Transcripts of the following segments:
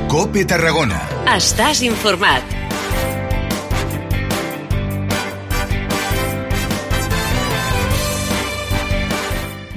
COPE Tarragona. Estàs informat.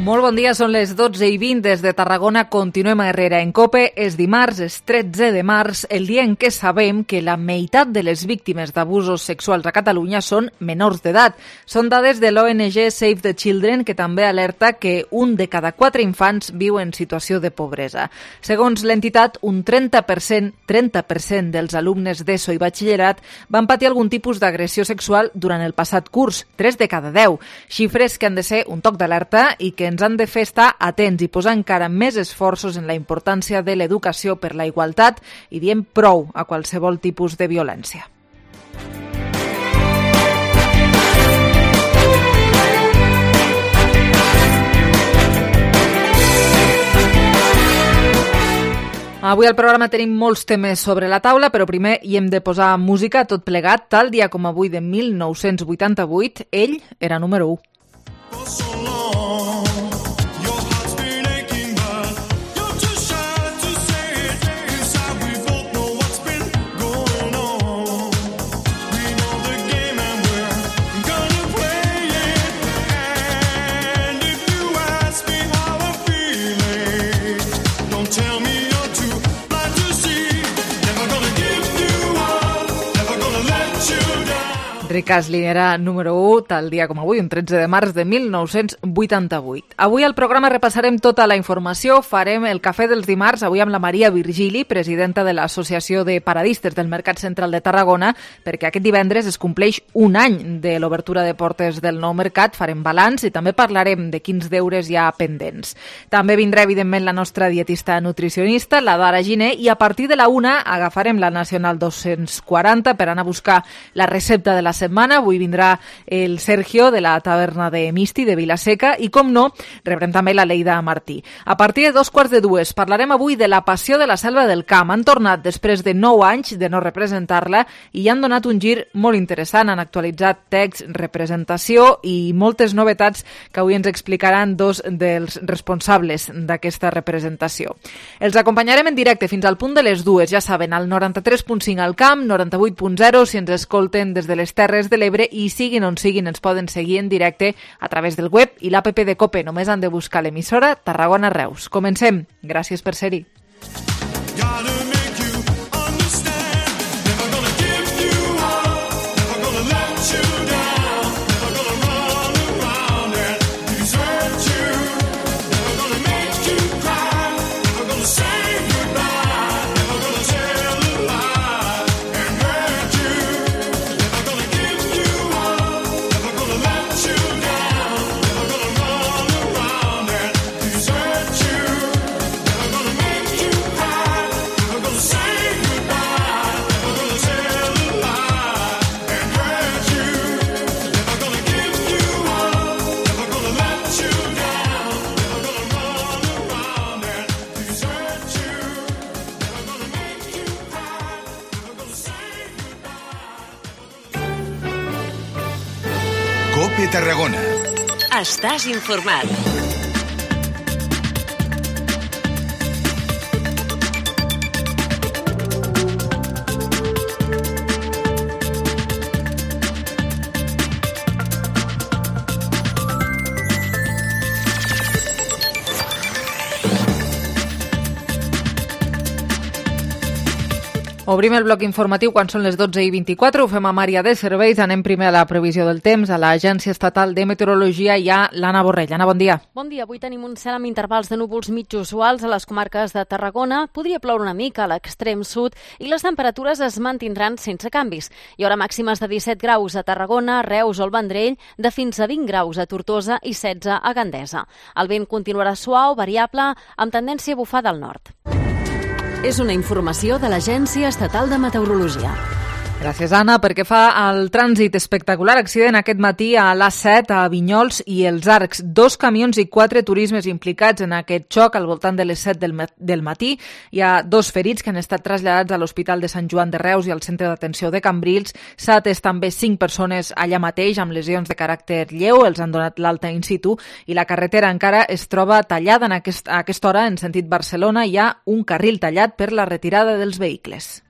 Molt bon dia, són les 12:20 des de Tarragona. Continuem a Herrera en COPE. És dimarts, és 13 de març, el dia en què sabem que la meitat de les víctimes d'abusos sexuals a Catalunya són menors d'edat. Són dades de l'ONG Save the Children, que també alerta que un de cada 4 infants viu en situació de pobresa. Segons l'entitat, un 30% dels alumnes d'ESO i batxillerat van patir algun tipus d'agressió sexual durant el passat curs, 3 de cada 10. Xifres que han de ser un toc d'alerta i que ens han de fer estar atents i posar encara més esforços en la importància de l'educació per la igualtat i diem prou a qualsevol tipus de violència. Avui al programa tenim molts temes sobre la taula, però primer hi hem de posar música tot plegat. Tal dia com avui de 1988, ell era número 1. Rick Astley era número 1 tal dia com avui, un 13 de març de 1988. Avui al programa repassarem tota la informació, farem el cafè dels dimarts, avui amb la Maria Virgili, presidenta de l'Associació de Paradistes del Mercat Central de Tarragona, perquè aquest divendres es compleix un any de l'obertura de portes del nou mercat, farem balanç i també parlarem de quins deures hi ha pendents. També vindrà, evidentment, la nostra dietista nutricionista, la Dara Giner, i a partir de la 1 agafarem la Nacional 240 per anar a buscar la recepta de la setmana. Avui vindrà el Sergio de la taverna de Misti de Vilaseca i, com no, rebrem també la Leida Martí. A partir de 2:15 parlarem avui de la Passió de la Selva del Camp. Han tornat després de 9 anys de no representar-la i hi han donat un gir molt interessant. Han actualitzat text, representació i moltes novetats que avui ens explicaran dos dels responsables d'aquesta representació. Els acompanyarem en directe fins al punt de les 2, ja saben, al 93.5 al Camp, 98.0 si ens escolten des de les Terres de l'Ebre i siguin on siguin ens poden seguir en directe a través del web i l'app de COPE. Només han de buscar l'emissora Tarragona Reus. Comencem. Gràcies per ser-hi. COPE Tarragona. Estàs informat. Obrim el bloc informatiu quan són les 12:24. Ho fem a Mària de Serveis. Anem primer a la previsió del temps. A l'Agència Estatal de Meteorologia hi ha l'Anna Borrell. Anna, bon dia. Bon dia. Avui tenim un cel amb intervals de núvols mig usuals a les comarques de Tarragona. Podria ploure una mica a l'extrem sud i les temperatures es mantindran sense canvis. Hi haurà màximes de 17 graus a Tarragona, Reus o el Vendrell, de fins a 20 graus a Tortosa i 16 a Gandesa. El vent continuarà suau, variable, amb tendència a bufar del nord. És una informació de l'Agència Estatal de Meteorologia. Gràcies, Anna. Perquè fa el trànsit espectacular accident aquest matí a l'A7, a Vinyols i els Arcs. 2 camions i 4 turismes implicats en aquest xoc al voltant de les 7 del matí. Hi ha 2 ferits que han estat traslladats a l'Hospital de Sant Joan de Reus i al Centre d'Atenció de Cambrils. S'ha atès també 5 persones allà mateix amb lesions de caràcter lleu. Els han donat l'alta in situ i la carretera encara es troba tallada a aquesta hora en sentit Barcelona. Hi ha un carril tallat per la retirada dels vehicles.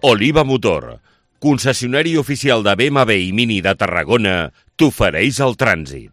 Oliva Motor, concessionari oficial de BMW i Mini de Tarragona, t'ofereix el trànsit.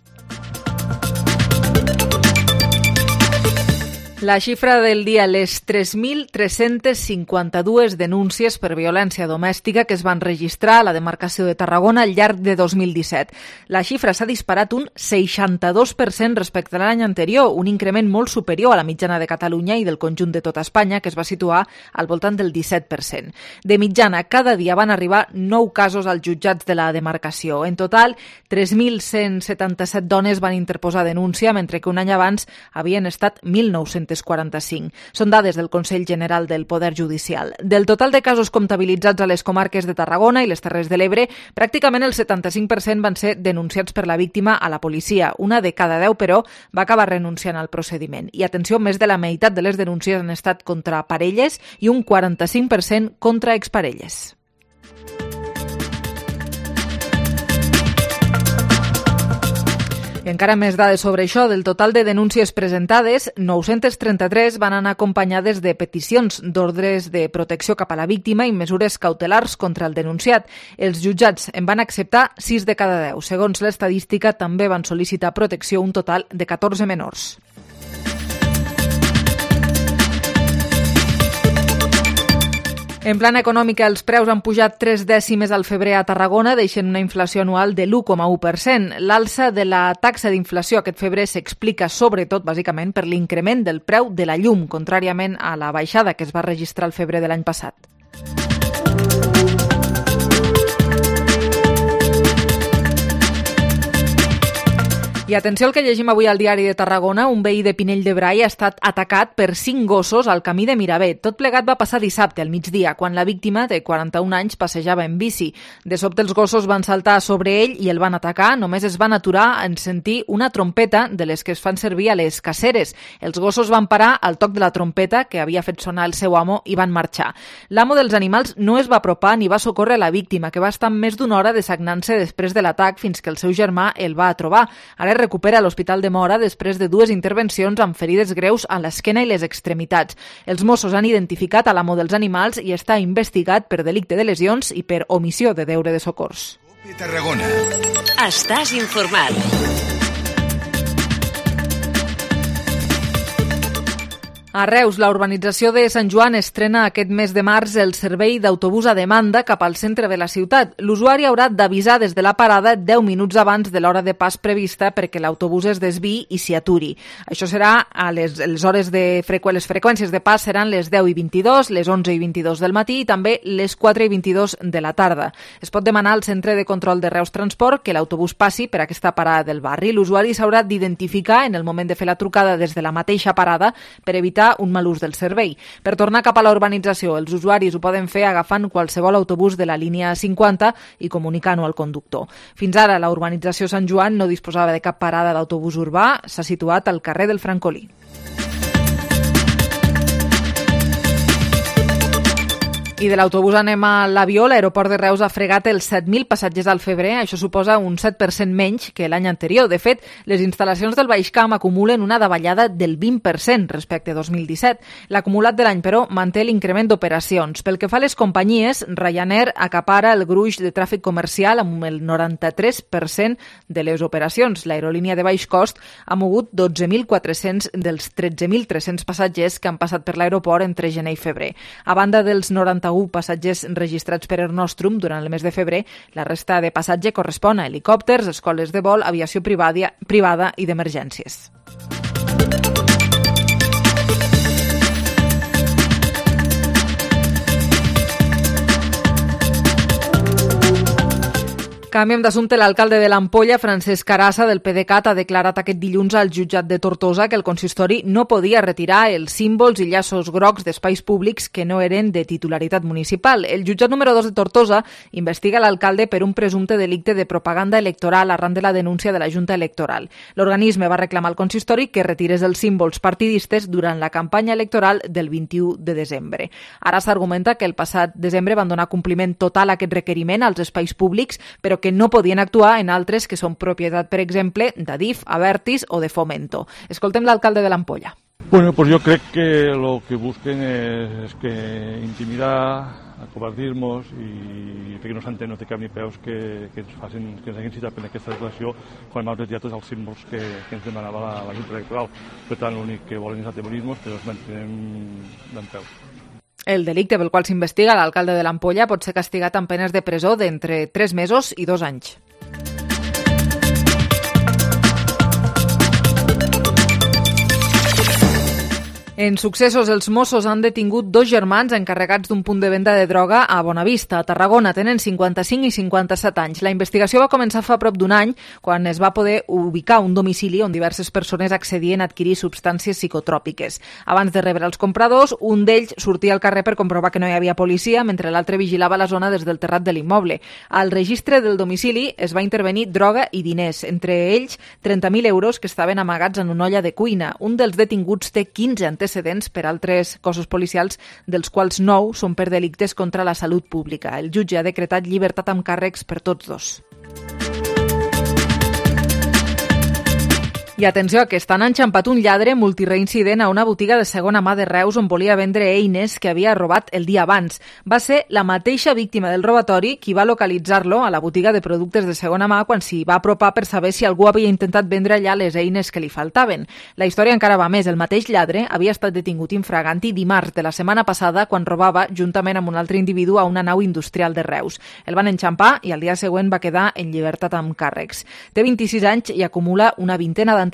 La xifra del dia, les 3.352 denúncies per violència domèstica que es van registrar a la demarcació de Tarragona al llarg de 2017. La xifra s'ha disparat un 62% respecte a l'any anterior, un increment molt superior a la mitjana de Catalunya i del conjunt de tota Espanya, que es va situar al voltant del 17%. De mitjana, cada dia van arribar 9 casos als jutjats de la demarcació. En total, 3.177 dones van interposar denúncia, mentre que un any abans havien estat 1.945. Són dades del Consell General del Poder Judicial. Del total de casos comptabilitzats a les comarques de Tarragona i les Terres de l'Ebre, pràcticament el 75% van ser denunciats per la víctima a la policia. Una de cada 10, però, va acabar renunciant al procediment. I atenció, més de la meitat de les denúncies han estat contra parelles i un 45% contra exparelles. I encara més dades sobre això. Del total de denúncies presentades, 933 van anar acompanyades de peticions d'ordres de protecció cap a la víctima i mesures cautelars contra el denunciat. Els jutjats en van acceptar 6 de cada 10. Segons l'estadística, també van sol·licitar protecció un total de 14 menors. En plana econòmica, els preus han pujat 3 dècimes al febrer a Tarragona, deixant una inflació anual de l'1,1%. L'alça de la taxa d'inflació aquest febrer s'explica sobretot, bàsicament, per l'increment del preu de la llum, contràriament a la baixada que es va registrar al febrer de l'any passat. I atenció al que llegim avui al diari de Tarragona. Un veí de Pinell de Brai ha estat atacat per 5 gossos al camí de Miravet. Tot plegat va passar dissabte al migdia, quan la víctima, de 41 anys, passejava en bici. De sobte els gossos van saltar sobre ell i el van atacar. Només es van aturar en sentir una trompeta de les que es fan servir a les caceres. Els gossos van parar al toc de la trompeta que havia fet sonar el seu amo i van marxar. L'amo dels animals no es va apropar ni va socórrer la víctima, que va estar més d'una hora desagnant-se després de l'atac fins que el seu germà el va trobar. Ara recupera a l'Hospital de Móra després de 2 intervencions amb ferides greus a l'esquena i les extremitats. Els Mossos han identificat a l'amo dels animals i està investigat per delicte de lesions i per omissió de deure de socors. Tarragona. Estàs informat. A Reus, la urbanització de Sant Joan estrena aquest mes de març el servei d'autobús a demanda cap al centre de la ciutat. L'usuari haurà d'avisar des de la parada 10 minuts abans de l'hora de pas prevista perquè l'autobús es desviï i s'hi aturi. Això serà a les hores de les freqüències de pas seran les 10 i 22, les 11 i 22 del matí i també les 4 i 22 de la tarda. Es pot demanar al Centre de Control de Reus Transport que l'autobús passi per aquesta parada del barri. L'usuari s'haurà d'identificar en el moment de fer la trucada des de la mateixa parada per evitar un mal ús del servei. Per tornar cap a la urbanització, els usuaris ho poden fer agafant qualsevol autobús de la línia 50 i comunicant-ho al conductor. Fins ara, la urbanització Sant Joan no disposava de cap parada d'autobús urbà, s'ha situat al carrer del Francolí. I de l'autobús anem a l'avió. L'aeroport de Reus ha fregat els 7.000 passatgers al febrer. Això suposa un 7% menys que l'any anterior. De fet, les instal·lacions del Baix Camp acumulen una davallada del 20% respecte a 2017. L'acumulat de l'any, però, manté l'increment d'operacions. Pel que fa a les companyies, Ryanair acapara el gruix de tràfic comercial amb el 93% de les operacions. L'aerolínia de baix cost ha mogut 12.400 dels 13.300 passatgers que han passat per l'aeroport entre gener i febrer. A banda dels 91 passatgers registrats per Air Nostrum durant el mes de febrer, la resta de passatge correspon a helicòpters, escoles de vol, aviació privada i d'emergències. Canviem d'assumpte. L'alcalde de l'Ampolla, Francesc Carassa, del PDeCAT, ha declarat aquest dilluns al jutjat de Tortosa que el consistori no podia retirar els símbols i llaços grocs d'espais públics que no eren de titularitat municipal. El jutjat número 2 de Tortosa investiga l'alcalde per un presumpte delicte de propaganda electoral arran de la denúncia de la Junta Electoral. L'organisme va reclamar al consistori que retirés els símbols partidistes durant la campanya electoral del 21 de desembre. Ara s'argumenta que el passat desembre van donar compliment total a aquest requeriment als espais públics, però que no podien actuar en altres que són propietat, per exemple, d'Adif, Abertis o de Fomento. Escoltem l'alcalde de l'Ampolla. Bueno, pues yo creo que lo que busquen es que intimidar, acobardir-nos i perquè no s'entén, no té cap ni peus que ens hagin citat per aquesta declaració quan hem retirat tots els símbols que ens demanava la Junta Electoral. Per tant, l'únic que volen és atemorir-nos, però els mantenem d'en peus. El delicte pel qual s'investiga l'alcalde de l'Ampolla pot ser castigat amb penes de presó d'entre 3 mesos i 2 anys. En successos, els Mossos han detingut 2 germans encarregats d'un punt de venda de droga a Bonavista, a Tarragona. Tenen 55 i 57 anys. La investigació va començar fa prop d'un any, quan es va poder ubicar un domicili on diverses persones accedien a adquirir substàncies psicotròpiques. Abans de rebre els compradors, un d'ells sortia al carrer per comprovar que no hi havia policia, mentre l'altre vigilava la zona des del terrat de l'immoble. Al registre del domicili es va intervenir droga i diners, entre ells 30.000 euros que estaven amagats en una olla de cuina. Un dels detinguts té 15 antecedents per altres cossos policials, dels quals 9 són per delictes contra la salut pública. El jutge ha decretat llibertat amb càrrecs per tots 2. I atenció, aquest any ha enxampat un lladre multireincident a una botiga de segona mà de Reus on volia vendre eines que havia robat el dia abans. Va ser la mateixa víctima del robatori qui va localitzar-lo a la botiga de productes de segona mà quan s'hi va apropar per saber si algú havia intentat vendre allà les eines que li faltaven. La història encara va més. El mateix lladre havia estat detingut infraganti dimarts de la setmana passada quan robava juntament amb un altre individu a una nau industrial de Reus. El van enxampar i al dia següent va quedar en llibertat amb càrrecs. Té 26 anys i acumula una vintena d'antecedents.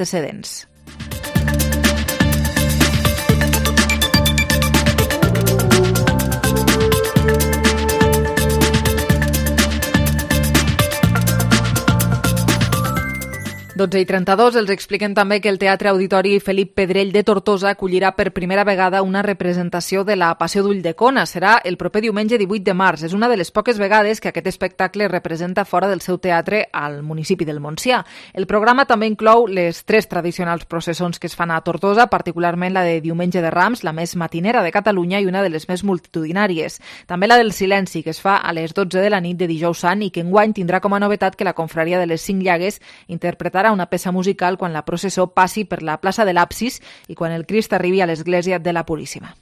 I 32 els expliquen també que el Teatre Auditori Felip Pedrell de Tortosa acollirà per primera vegada una representació de la Passió d'Ulldecona. Serà el proper diumenge 18 de març. És una de les poques vegades que aquest espectacle representa fora del seu teatre al municipi del Montsià. El programa també inclou les 3 tradicionals processons que es fan a Tortosa, particularment la de Diumenge de Rams, la més matinera de Catalunya i una de les més multitudinàries. També la del Silenci, que es fa a les 12 de la nit de Dijous Sant i que enguany tindrà com a novetat que la confraria de les 5 Llagues interpretarà una peça musical quan la processó passi per la plaça de l'Absis i quan el Crist arribi a l'església de la Puríssima.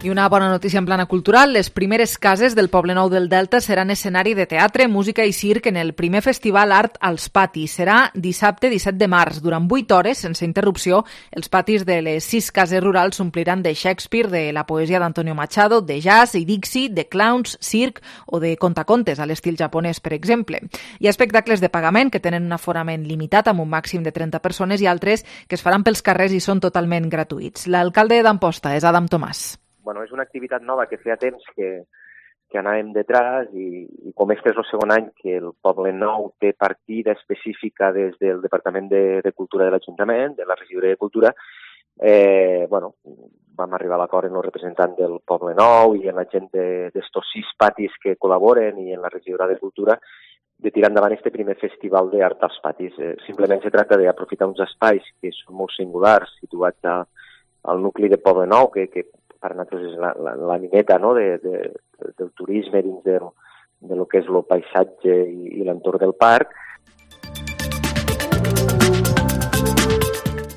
I una bona notícia en plana cultural, les primeres cases del Poblenou del Delta seran escenari de teatre, música i circ en el primer festival Art als Patis. Serà dissabte 17 de març. Durant 8 hores, sense interrupció, els patis de les 6 cases rurals s'ompliran de Shakespeare, de la poesia d'Antonio Machado, de jazz i Dixie, de clowns, circ o de contacontes, a l'estil japonès, per exemple. Hi ha espectacles de pagament que tenen un aforament limitat amb un màxim de 30 persones i altres que es faran pels carrers i són totalment gratuïts. L'alcalde d'Amposta és Adam Tomàs. Bueno, és una activitat nova que feia temps que anàvem detrás i com este és el segon any que el Poblenou té partida específica des del Departament de Cultura de l'Ajuntament, de la Regidoria de Cultura, vam arribar a l'acord en el representant del Poblenou i en la gent d'estos 6 patis que col·laboren i en la Regidoria de Cultura de tirar endavant este primer festival d'art als patis. Simplement se tracta d'aprofitar uns espais que són molt singulars, situats al nucli de Poblenou, que per nosaltres és la mineta, no? del turisme dins de lo que és el paisatge i l'entorn del parc.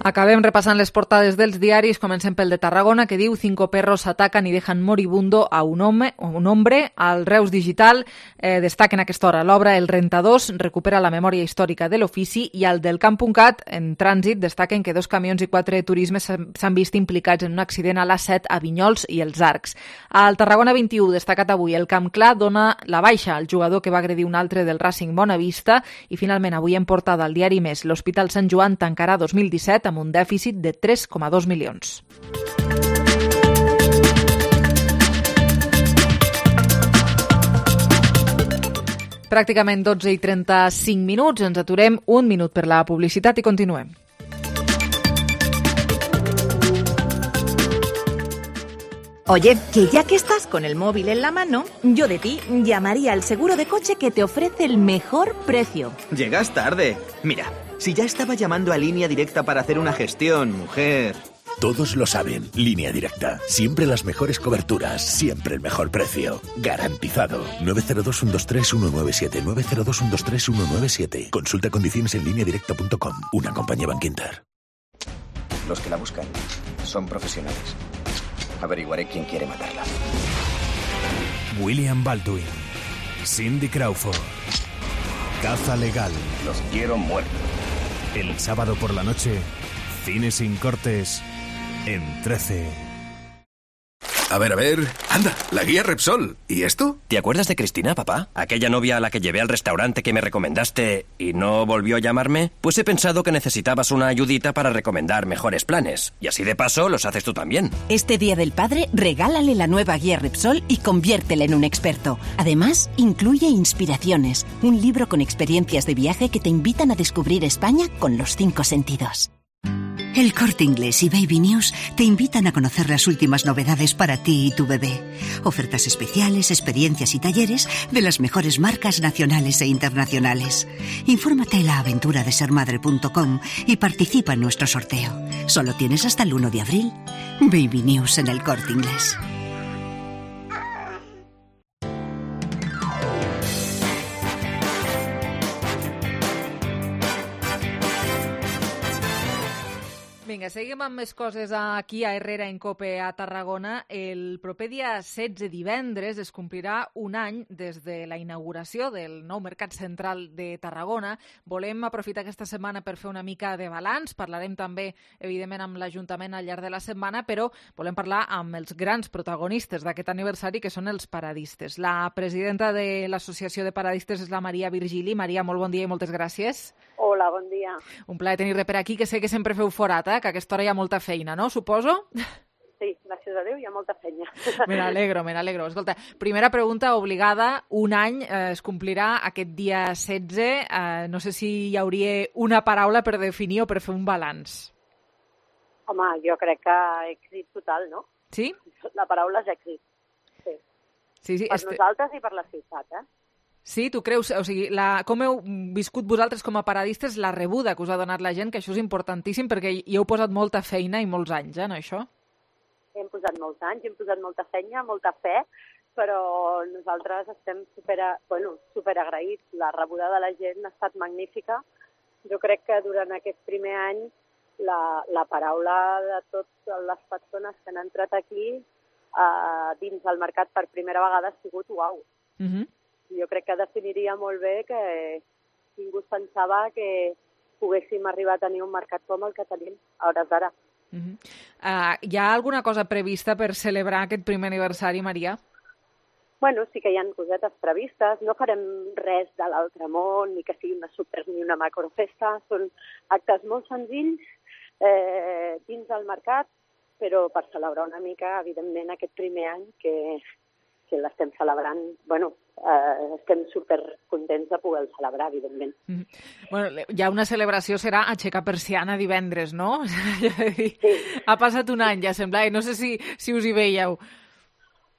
Acabem repassant les portades dels diaris. Comencem pel de Tarragona, que diu 5 perros atacan y dejan moribundo a un hombre. Al Reus Digital destaquen a aquesta hora l'obra El Rentadors, recupera la memòria històrica de l'ofici, i al del Camp.cat, en trànsit, destaquen que 2 camions i 4 turismes s'han vist implicats en un accident a l'A7 a Vinyols i els Arcs. Al Tarragona 21, destacat avui, el Camp Clar dona la baixa al jugador que va agredir un altre del Racing Bonavista, i finalment avui en portada al diari Més, l'Hospital Sant Joan tancarà 2017 amb un dèficit de 3,2 milions. Pràcticament 12:35 minuts, ens aturem un minut per la publicitat i continuem. Oye, que ya que estás con el móvil en la mano, yo de ti llamaría al seguro de coche que te ofrece el mejor precio. Llegas tarde. Mira, si ya estaba llamando a Línea Directa para hacer una gestión, mujer. Todos lo saben. Línea Directa. Siempre las mejores coberturas. Siempre el mejor precio. Garantizado. 902-123-197. 902-123-197. Consulta condiciones en lineadirecta.com. Una compañía Bankinter. Los que la buscan son profesionales. Averiguaré quién quiere matarla. William Baldwin. Cindy Crawford. Caza legal. Los quiero muertos. El sábado por la noche, Cine sin cortes en 13. A ver, anda, la guía Repsol. ¿Y esto? ¿Te acuerdas de Cristina, papá? Aquella novia a la que llevé al restaurante que me recomendaste y no volvió a llamarme. Pues he pensado que necesitabas una ayudita para recomendar mejores planes. Y así de paso los haces tú también. Este Día del Padre, regálale la nueva guía Repsol y conviértela en un experto. Además, incluye Inspiraciones, un libro con experiencias de viaje que te invitan a descubrir España con los 5 sentidos. El Corte Inglés y Baby News te invitan a conocer las últimas novedades para ti y tu bebé. Ofertas especiales, experiencias y talleres de las mejores marcas nacionales e internacionales. Infórmate en laaventuradesermadre.com y participa en nuestro sorteo. Solo tienes hasta el 1 de abril. Baby News en el Corte Inglés. Vinga, seguim amb més coses aquí a Herrera en Cope a Tarragona. El proper dia 16 divendres es complirà un any des de la inauguració del nou Mercat Central de Tarragona. Volem aprofitar aquesta setmana per fer una mica de balanç. Parlarem també, evidentment, amb l'Ajuntament al llarg de la setmana, però volem parlar amb els grans protagonistes d'aquest aniversari, que són els paradistes. La presidenta de l'Associació de Paradistes és la Maria Virgili. Maria, molt bon dia i moltes gràcies. Hola, bon dia. Un plaer tenir-te per aquí, que sé que sempre feu forat, que a aquesta hora hi ha molta feina, no? Suposo? Sí, gràcies a Déu hi ha molta feina. Me n'alegro. Escolta, primera pregunta obligada. Un any es complirà aquest dia 16. No sé si hi hauria una paraula per definir o per fer un balanç. Home, jo crec que èxit total, no? Sí? La paraula és èxit. Sí. Per nosaltres i per la ciutat, Sí, tu creus? O sigui, com heu viscut vosaltres com a paradistes la rebuda que us ha donat la gent, que això és importantíssim perquè hi heu posat molta feina i molts anys, en això? Hem posat molts anys, hem posat molta feina, molta fe, però nosaltres estem superagraïts. La rebuda de la gent ha estat magnífica. Jo crec que durant aquest primer any la paraula de totes les persones que han entrat aquí dins del mercat per primera vegada ha sigut uau. Jo crec que definiria molt bé que ningú es pensava que poguéssim arribar a tenir un mercat com el que tenim a hores d'ara. Hi ha alguna cosa prevista per celebrar aquest primer aniversari, Maria? Bueno, sí que hi ha cosetes previstes. No farem res de l'altre món, ni que sigui una super ni una macrofesta. Són actes molt senzills dins del mercat, però per celebrar una mica, evidentment, aquest primer any que l'estem celebrant, estem supercontents de poder celebrar, evidentment. Bueno, ja una celebració serà aixecar persiana divendres, no? Sí. Ha passat un any, ja sembla, i no sé si us hi veieu.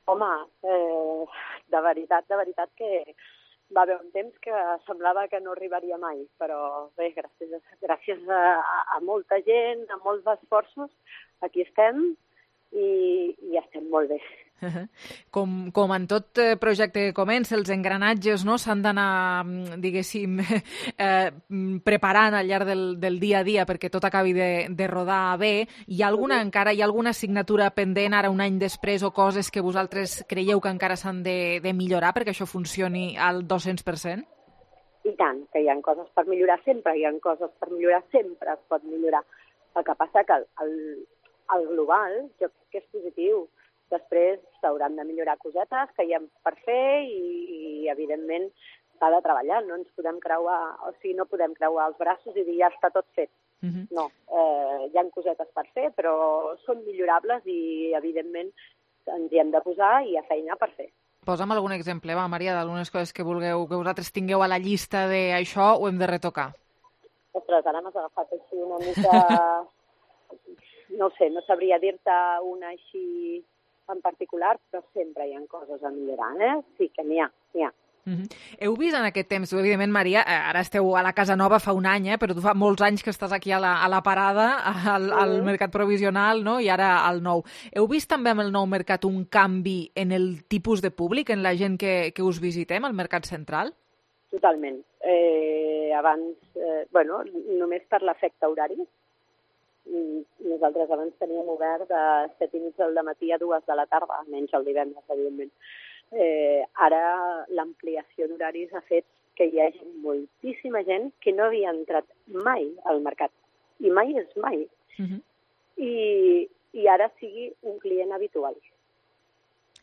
Home, de veritat que va haver un temps que semblava que no arribaria mai, però bé, gràcies a molta gent, a molts esforços, aquí estem i estem molt bé. Com en tot projecte que comença, els engranatges s'han d'anar, diguéssim, preparant al llarg del dia a dia perquè tot acabi de rodar bé. Hi ha alguna assignatura pendent ara un any després o coses que vosaltres creieu que encara s'han de millorar perquè això funcioni al 200%? I tant, que hi ha coses per millorar sempre, sempre es pot millorar. El que passa que el global jo crec que és positiu. Després s'hauran de millorar cosetes que hi ha per fer i evidentment, s'ha de treballar. No ens podem no podem creuar els braços i dir ja està tot fet. No, hi ha cosetes per fer, però són millorables i evidentment ens hi hem de posar i hi ha feina per fer. Posa'm algun exemple, va, Maria, d'algunes coses que vulgueu, que vosaltres tingueu a la llista de això ho hem de retocar. Ostres, ara m'has agafat així una mica... No sé, no sabria dir-te una així en particular, però sempre hi ha coses a millorar, eh? Sí que n'hi ha. Heu vist en aquest temps, evidentment, Maria, ara esteu a la Casa Nova fa un any, però tu fa molts anys que estàs aquí a la parada, al mercat provisional, no? I ara al nou. Heu vist també amb el nou mercat un canvi en el tipus de públic, en la gent que us visitem al mercat central? Totalment. Abans, només per l'efecte horari. Nosaltres abans teníem obert de 7:30 del matí a 2 de la tarda, menys el divendres, evidentment. Ara l'ampliació d'horaris ha fet que hi hagi moltíssima gent que no havia entrat mai al mercat. I mai és mai. I ara sigui un client habitual.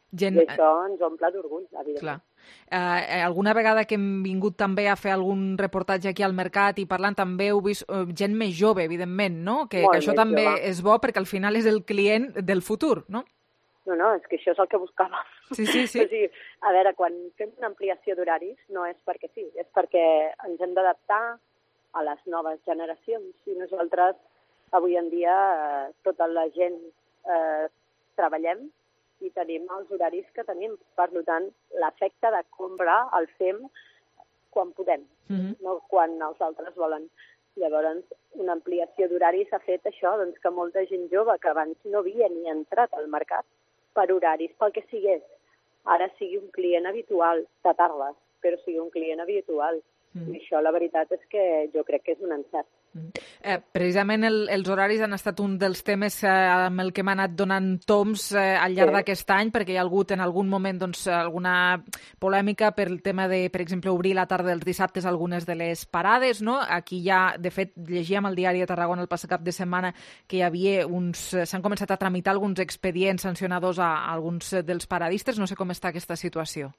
I això ens omple d'orgull, evidentment. Alguna vegada que hem vingut també a fer algun reportatge aquí al mercat i parlant també heu vist gent més jove, evidentment, no? Que això també és bo perquè al final és el client del futur, no? No, és que això és el que buscàvem. Sí. O sigui, a veure, quan fem una ampliació d'horaris no és perquè sí, és perquè ens hem d'adaptar a les noves generacions. I nosaltres, avui en dia, tota la gent treballem i tenim els horaris que tenim. Per tant, l'efecte de compra el fem quan podem, no quan els altres volen. Llavors, una ampliació d'horaris ha fet això, doncs que molta gent jove que abans no havia ni entrat al mercat per horaris, pel que sigués, ara sigui un client habitual de tardes, però sigui un client habitual. I això, la veritat, és que jo crec que és un encert. Precisament els horaris han estat un dels temes amb el que hem anat donant toms al llarg d'aquest any, perquè hi ha hagut en algun moment alguna polèmica per el tema de, per exemple, obrir la tarda dels dissabtes algunes de les parades, no? Aquí ja, de fet, llegíem al diari de Tarragona el passat cap de setmana que hi havia s'han començat a tramitar alguns expedients sancionadors a alguns dels paradistes. No sé com està aquesta situació.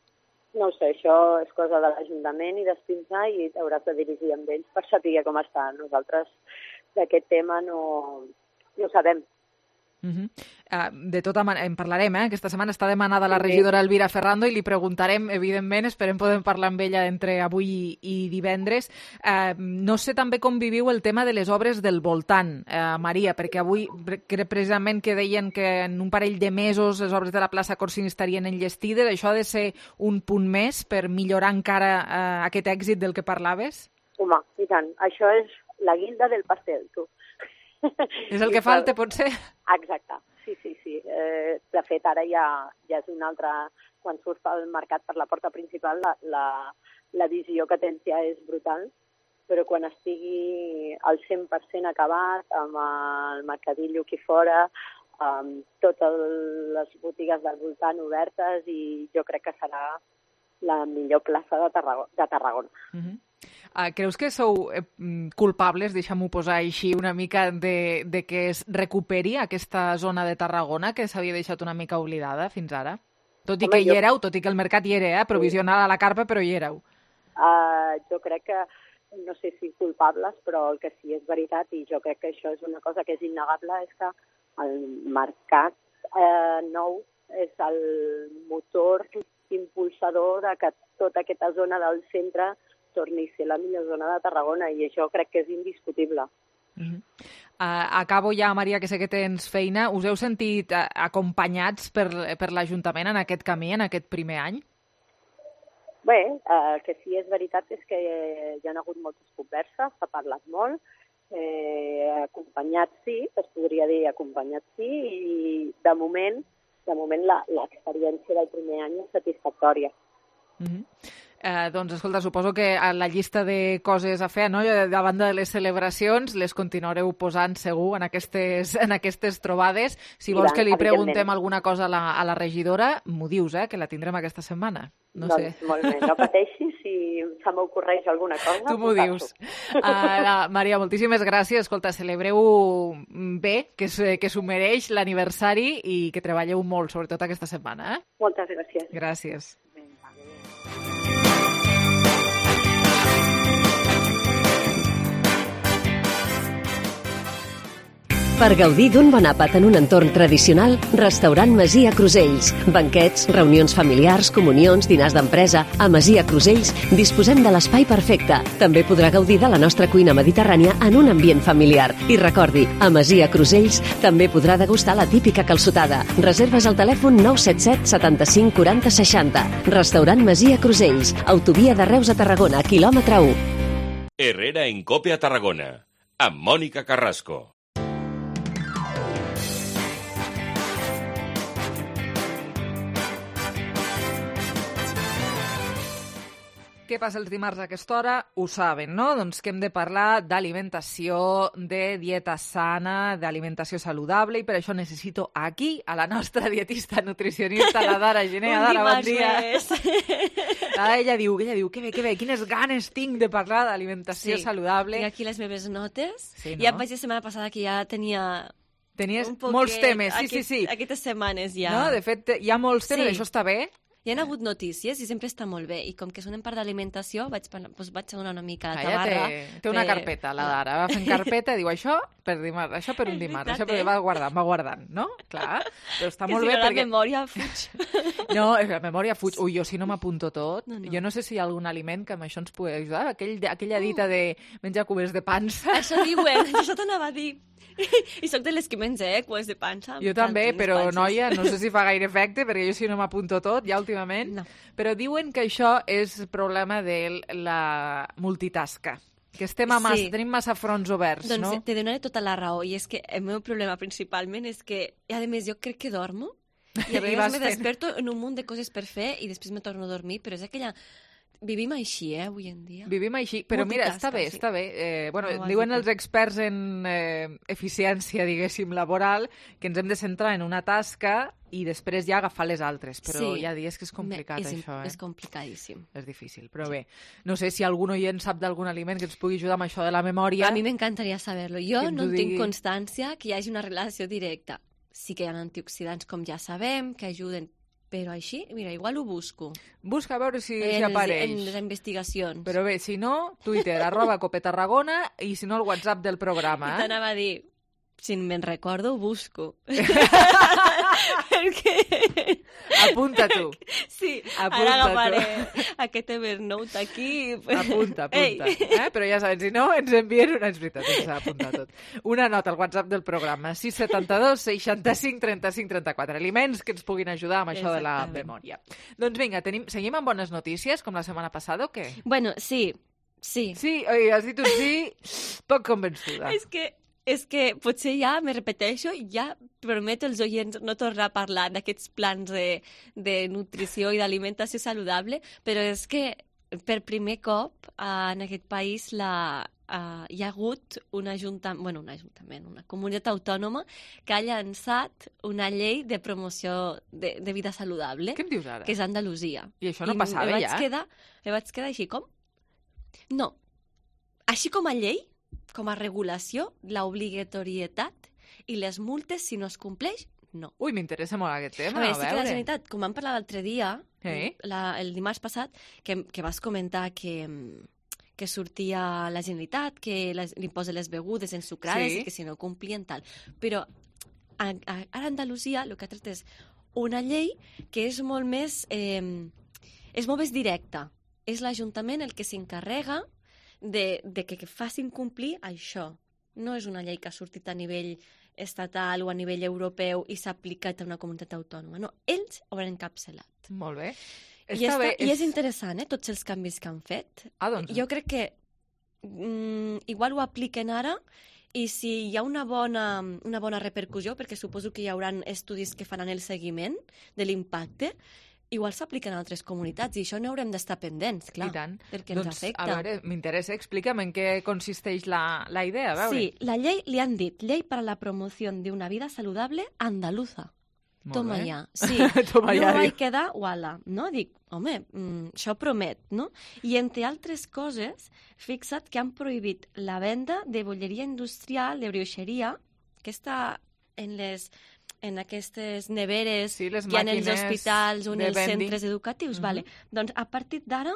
No ho sé, això és cosa de l'Ajuntament i d'Espinçà i t'hauràs de dirigir amb ells per saber com està. Nosaltres d'aquest tema no ho sabem. De tota manera, en parlarem, aquesta setmana està demanada la regidora Elvira Ferrando i li preguntarem, evidentment, esperem poder parlar amb ella entre avui i divendres. No sé també com viviu el tema de les obres del voltant, Maria, perquè avui precisament que deien que en un parell de mesos les obres de la plaça Corsini estarien enllestides. Això ha de ser un punt més per millorar encara aquest èxit del que parlaves? Home, i tant. Això és la guinda del pastel, tu. És el que falta, potser? Exacte, sí. De fet, ara ja és una altra... Quan surts pel mercat per la porta principal, la visió que tens ja és brutal, però quan estigui al 100% acabat, amb el mercadillo aquí fora, amb totes les botigues del voltant obertes, i jo crec que serà la millor plaça de Tarragona. Creus que sou culpables, deixa'm-ho posar així, una mica de que es recuperi aquesta zona de Tarragona que s'havia deixat una mica oblidada fins ara? Tot i que hi éreu, tot i que el mercat hi era, provisional a la carpa, però hi éreu. Jo crec que, no sé si culpables, però el que sí és veritat, i jo crec que això és una cosa que és innegable, és que el mercat nou és el motor impulsador de que tota aquesta zona del centre torni a ser la millor zona de Tarragona, i això crec que és indiscutible. Acabo ja, Maria, que sé que tens feina. Us heu sentit acompanyats per l'Ajuntament en aquest camí, en aquest primer any? Bé, el que sí és veritat és que hi ha hagut moltes converses, s'ha parlat molt, acompanyats sí, es podria dir acompanyats sí, i de moment l'experiència del primer any és satisfactòria. Doncs, escolta, suposo que a la llista de coses a fer, no? Davant de les celebracions, les continuareu posant segur en aquestes trobades. Si vols que li preguntem alguna cosa a la regidora, m'ho dius, que la tindrem aquesta setmana. No sé. Molt bé, no pateixis, si se m'ocorreix alguna cosa. Tu m'ho dius. Maria, moltíssimes gràcies. Escolta, celebreu bé, que s'ho mereix l'aniversari i que treballeu molt, sobretot aquesta setmana. Moltes gràcies. Gràcies. Per gaudir d'un bon àpat en un entorn tradicional, Restaurant Masia Crusells. Banquets, reunions familiars, comunions, dinars d'empresa. A Masia Crusells disposem de l'espai perfecte. També podrà gaudir de la nostra cuina mediterrània en un ambient familiar. I recordi, a Masia Crusells també podrà degustar la típica calçotada. Reserves al telèfon 977 75 40 60. Restaurant Masia Crusells. Autovia de Reus a Tarragona, quilòmetre 1. Herrera en Cope a Tarragona, amb Mònica Carrasco. Què passa els dimarts a aquesta hora? Ho saben, no? Doncs que hem de parlar d'alimentació, de dieta sana, d'alimentació saludable, i per això necessito aquí a la nostra dietista nutricionista, la Dara Gené. Dara, bon dia. Ella diu, que bé, quines ganes tinc de parlar d'alimentació saludable. Tinc aquí les meves notes. Sí, no? Ja em vaig dir la setmana passada que ja tenia... Tenies molts temes, sí. Aquestes setmanes ja. No, de fet, hi ha molts temes, això està bé. Hi ha hagut notícies i sempre està molt bé. I com que són en part d'alimentació, vaig donar una mica de tabarra. Té una carpeta, la Dara. Va fent carpeta i diu això per dimarts, això per un dimarts, això perquè va guardant, no? Clar, però està molt bé perquè... La memòria fuig. No, la memòria fuig. Ui, jo si no m'apunto tot, jo no sé si hi ha algun aliment que amb això ens pugui ajudar. Aquella dita de menjar cubers de pansa. Això diuen, això t'anava a dir. I soc de les que menja, cubes de pansa. Jo també, però noia, no sé si fa gaire efecte, perquè jo si no m'apunto tot, ja últimament. No. Però diuen que això és problema de la multitasca. Que tenim massa fronts oberts, no? Doncs te donaré tota la raó. I és que el meu problema principalment és que, a més, jo crec que dormo. I a vegades me desperto en un munt de coses per fer i després me torno a dormir, però és aquella... Vivim així, avui en dia. Vivim així, però mira, està bé. Diuen els experts en eficiència, diguéssim, laboral, que ens hem de centrar en una tasca i després ja agafar les altres, però hi ha dies que és complicat, això. És complicadíssim. És difícil, però bé. No sé si algun oient sap d'algun aliment que ens pugui ajudar amb això de la memòria. A mi m'encantaria saber-lo. Jo no tinc constància que hi hagi una relació directa. Sí que hi ha antioxidants, com ja sabem, que ajuden. Però així, mira, igual ho busco. Busca a veure si apareix. En les investigacions. Però bé, si no, Twitter, @copetarragona, i si no, el WhatsApp del programa. I t'anava a dir, si me'n recordo, ho busco. Apunta tu. Sí, ara agafaré aquest Evernote aquí. Apunta. Però ja saben, si no, ens envien una... És veritat, ens ha apuntat tot. Una nota al WhatsApp del programa, 672 65 35 34. Aliments que ens puguin ajudar amb això de la memòria. Doncs vinga, seguim amb bones notícies, com la setmana passada, o què? Bueno, sí. Sí, oi, has dit un sí poc convençuda. És que potser ja me repeteixo i ja prometo als oients no tornar a parlar d'aquests plans de nutrició i d'alimentació saludable, però és que per primer cop en aquest país hi ha hagut una comunitat autònoma que ha llançat una llei de promoció de vida saludable. Què em dius ara? Que és Andalusia. I això no passava ja? Me vaig quedar així, com? No. Així com a llei, com a regulació, l'obligatorietat i les multes, si no es compleix, no. Ui, m'interessa molt aquest tema, a veure. Sí que la Generalitat, com vam parlar l'altre dia, el dimarts passat, que vas comentar que sortia la Generalitat, que l'impost de les begudes ensucrades i que si no complien tal. Però ara a Andalusia el que ha tret és una llei que és molt més directa. És l'Ajuntament el que s'encarrega de que facin complir això. No és una llei que ha sortit a nivell estatal o a nivell europeu i s'ha aplicat a una comunitat autònoma. No, ells ho han encapçalat. Molt bé. I és interessant, tots els canvis que han fet. Doncs... Jo crec que igual ho apliquen ara i si hi ha una bona repercussió, perquè suposo que hi haurà estudis que faran el seguiment de l'impacte, igual s'apliquen a altres comunitats i això n'haurem d'estar pendents, clar, perquè ens afecta. A veure, m'interessa, explica'm en què consisteix la idea, a veure. Sí, la llei li han dit Llei para la promoción de una vida saludable andaluza. Toma ja. Sí, Toma no vaig quedar, uala, no? Dic, home, això promet, no? I entre altres coses, fixa't que han prohibit la venda de bolleria industrial, de brioixeria, que està en aquestes neveres que hi ha en els hospitals o en els centres educatius. Doncs a partir d'ara,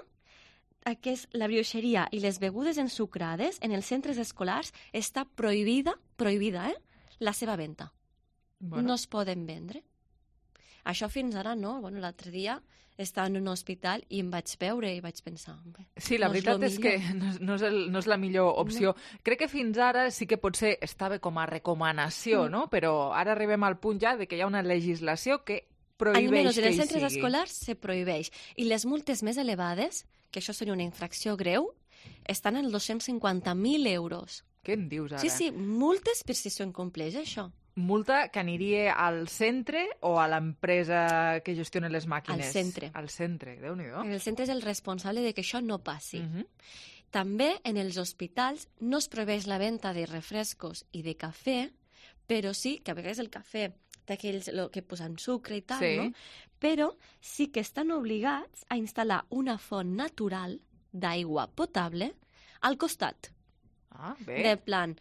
la brioixeria i les begudes ensucrades en els centres escolars està prohibida, la seva venda. Bueno. No es poden vendre. Això fins ara no. Bueno, l'altre dia estava en un hospital i em vaig veure i vaig pensar... Sí, la veritat és que no és la millor opció. No. Crec que fins ara sí que potser estava com a recomanació, no? Però ara arribem al punt ja de que hi ha una legislació que prohibeix que hi sigui. En els centres escolars se prohibeix. I les multes més elevades, que això seria una infracció greu, estan en 250.000 euros. Què em dius ara? Sí, sí, multes per si s'ho incompleix, això. Multa que aniria al centre o a l'empresa que gestiona les màquines? Al centre. Al centre, Déu-n'hi-do. El centre és el responsable de que això no passi. També en els hospitals no es prohibeix la venda de refrescos i de cafè, però sí que a vegades el cafè d'aquells que posen sucre i tal, sí, no? Però sí que estan obligats a instal·lar una font natural d'aigua potable al costat. Ah, bé. De plan,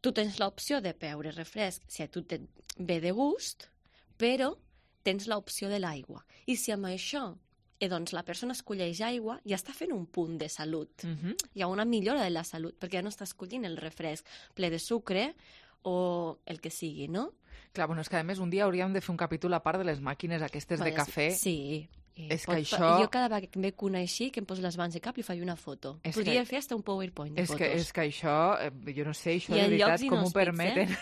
tu tens l'opció de beure refresc si a tu te ve de gust, però tens l'opció de l'aigua. I si amb això doncs la persona escolleix aigua, ja està fent un punt de salut. Hi ha una millora de la salut, perquè ja no està escollint el refresc ple de sucre o el que sigui, no? Clar, bueno, és que a més un dia hauríem de fer un capítol a part de les màquines aquestes de cafè. Sí. És que això... Jo cada vegada que em veig una així, que em poso les mans de cap, li faig una foto. Podria fer fins un PowerPoint de fotos. És que això, jo no sé, això de veritat, com ho permeten.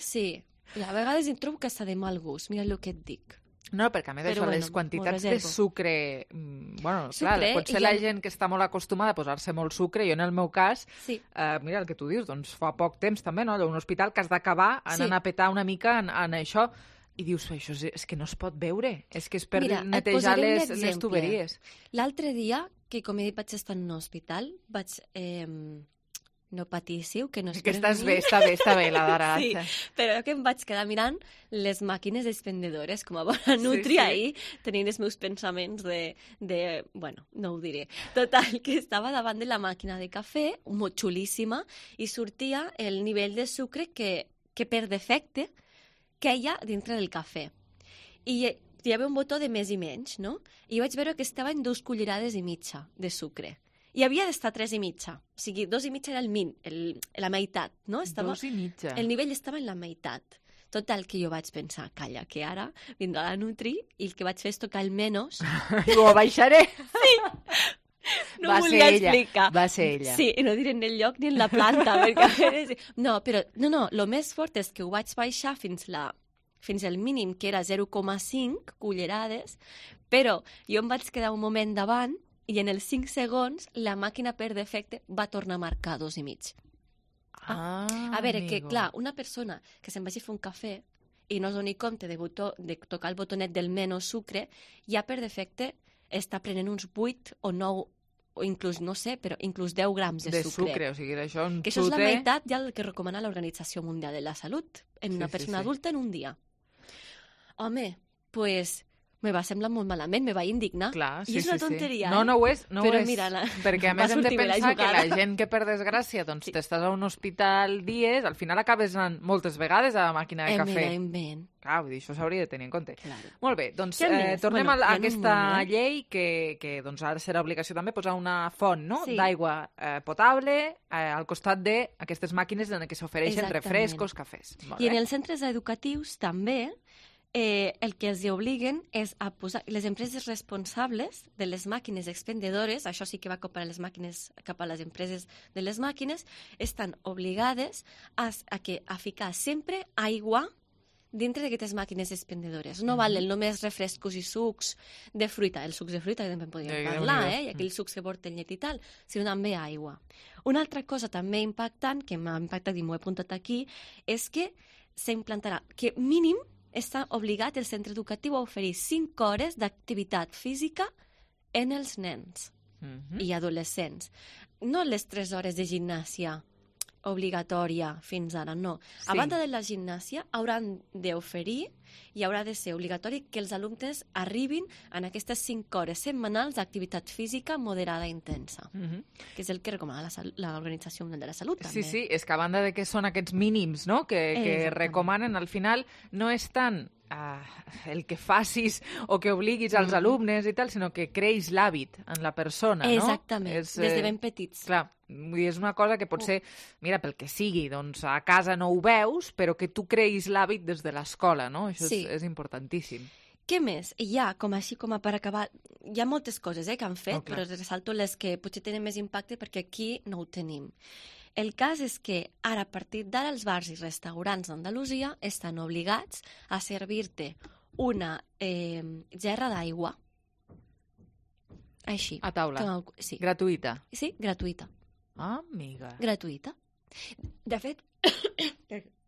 Sí, i a vegades em trobo que està de mal gust, mira el que et dic. No, perquè a més d'això, les quantitats de sucre... Bueno, clar, potser la gent que està molt acostumada a posar-se molt sucre, jo en el meu cas, mira el que tu dius, doncs fa poc temps també, no? Un hospital que has d'acabar anant a petar una mica en això, i dius, això és que no es pot veure, és que és per netejar les tuberies. L'altre dia, que com he dit vaig estar en un hospital, vaig... No patíssiu, que no és que estàs bé, està bé la d'ara. Sí, però que em vaig quedar mirant les màquines expendedores, com a bona nutri ahir, tenint els meus pensaments de... Bueno, no ho diré. Total, que estava davant de la màquina de cafè, molt xulíssima, i sortia el nivell de sucre que per defecte queia dintre del cafè. I hi havia un botó de més i menys, no? I vaig veure que estava en 2 cullerades i mitja de sucre. I havia d'estar 3 i mitja. O sigui, 2 i mitja era la meitat, no? 2 i mitja. El nivell estava en la meitat. Total, que jo vaig pensar, calla, que ara vindrà la Nutri i el que vaig fer és tocar el menys. I ho baixaré. Sí. No ho volia explicar. Va ser ella. Sí, i no diré en el lloc ni en la planta. Perquè... No, però el més fort és que ho vaig baixar fins el mínim, que era 0,5 cullerades, però jo em vaig quedar un moment davant i en els 5 segons la màquina per defecte va tornar a marcar 2 i mig. A veure, que clar, una persona que se'n vagi a fer un cafè i no es doni compte de tocar el botonet del menys sucre, ja per defecte està prenent uns 8 o 9 o inclús, no sé, però inclús 10 grams de sucre. O sigui, això que això és la meitat ja el que recomana l'Organització Mundial de la Salut en una persona adulta en un dia. Home, pues... me va semblar molt malament, me va indignar. Clar, I és una tonteria, No ho és, però mira, perquè a més hem de pensar que la gent que per desgràcia doncs t'estàs a un hospital dies, al final acabes anant moltes vegades a la màquina de cafè. Clar, vull dir, això s'hauria de tenir en compte. Claro. Molt bé, doncs tornem a aquesta llei que doncs ara serà obligació també posar una font d'aigua potable al costat d'aquestes màquines en què s'ofereixen refrescos, cafès. I en els centres educatius també el que els obliguen és a posar les empreses responsables de les màquines expendedores, això sí que va cap a les empreses de les màquines, estan obligades a ficar sempre aigua dintre d'aquestes màquines expendedores. No valen només refrescos i sucs de fruita, els sucs de fruita que també en podríem parlar, i aquells sucs que porten llet i tal, sinó també aigua. Una altra cosa també impactant, que m'ha impactat i m'ho he apuntat aquí, és que s'implantarà que mínim està obligat el centre educatiu a oferir 5 hores d'activitat física en els nens i adolescents. No les 3 hores de gimnàsia obligatòria fins ara, no. A banda de la gimnàsia, hauran d'oferir i haurà de ser obligatori que els alumnes arribin en aquestes 5 hores setmanals d'activitat física moderada i intensa, que és el que recomana l'Organització Mundial de la Salut. També. Sí, és que a banda de que són aquests mínims, no?, que recomanen, al final no és tant el que facis o que obliguis als alumnes i tal, sinó que creix l'hàbit en la persona, no? Exactament, des de ben petits. Clar, és una cosa que potser, mira, pel que sigui, doncs a casa no ho veus, però que tu creïs l'hàbit des de l'escola, no? Això és importantíssim. Què més? Hi ha, com per acabar, hi ha moltes coses que han fet, però ressalto les que potser tenen més impacte perquè aquí no ho tenim. El cas és que ara, a partir d'ara, els bars i restaurants d'Andalusia estan obligats a servir-te una gerra d'aigua. Així. A taula? Sí. Gratuïta? Sí, gratuïta. Ah, amiga. Gratuïta. De fet,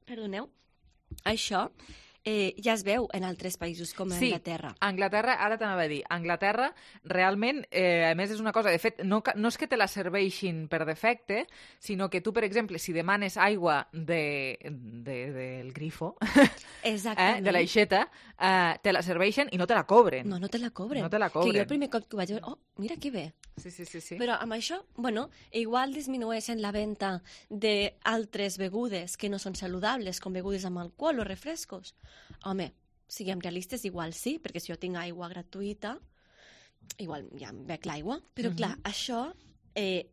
perdoneu, això ja es veu en altres països com Anglaterra. Sí, Anglaterra, ara t'anava a dir, Anglaterra realment, a més és una cosa, de fet, no és que te la serveixin per defecte, sinó que tu, per exemple, si demanes aigua del grifo, de l'aixeta, te la serveixen i no te la cobren. No te la cobren. No te la cobren. Que jo el primer cop que ho vaig veure, mira que bé. Sí. Però amb això, igual disminueixen la venda d'altres begudes que no són saludables, com begudes amb alcohol o refrescos. Home, siguem realistes, igual sí, perquè si jo tinc aigua gratuïta, igual ja em bec l'aigua, però clar, això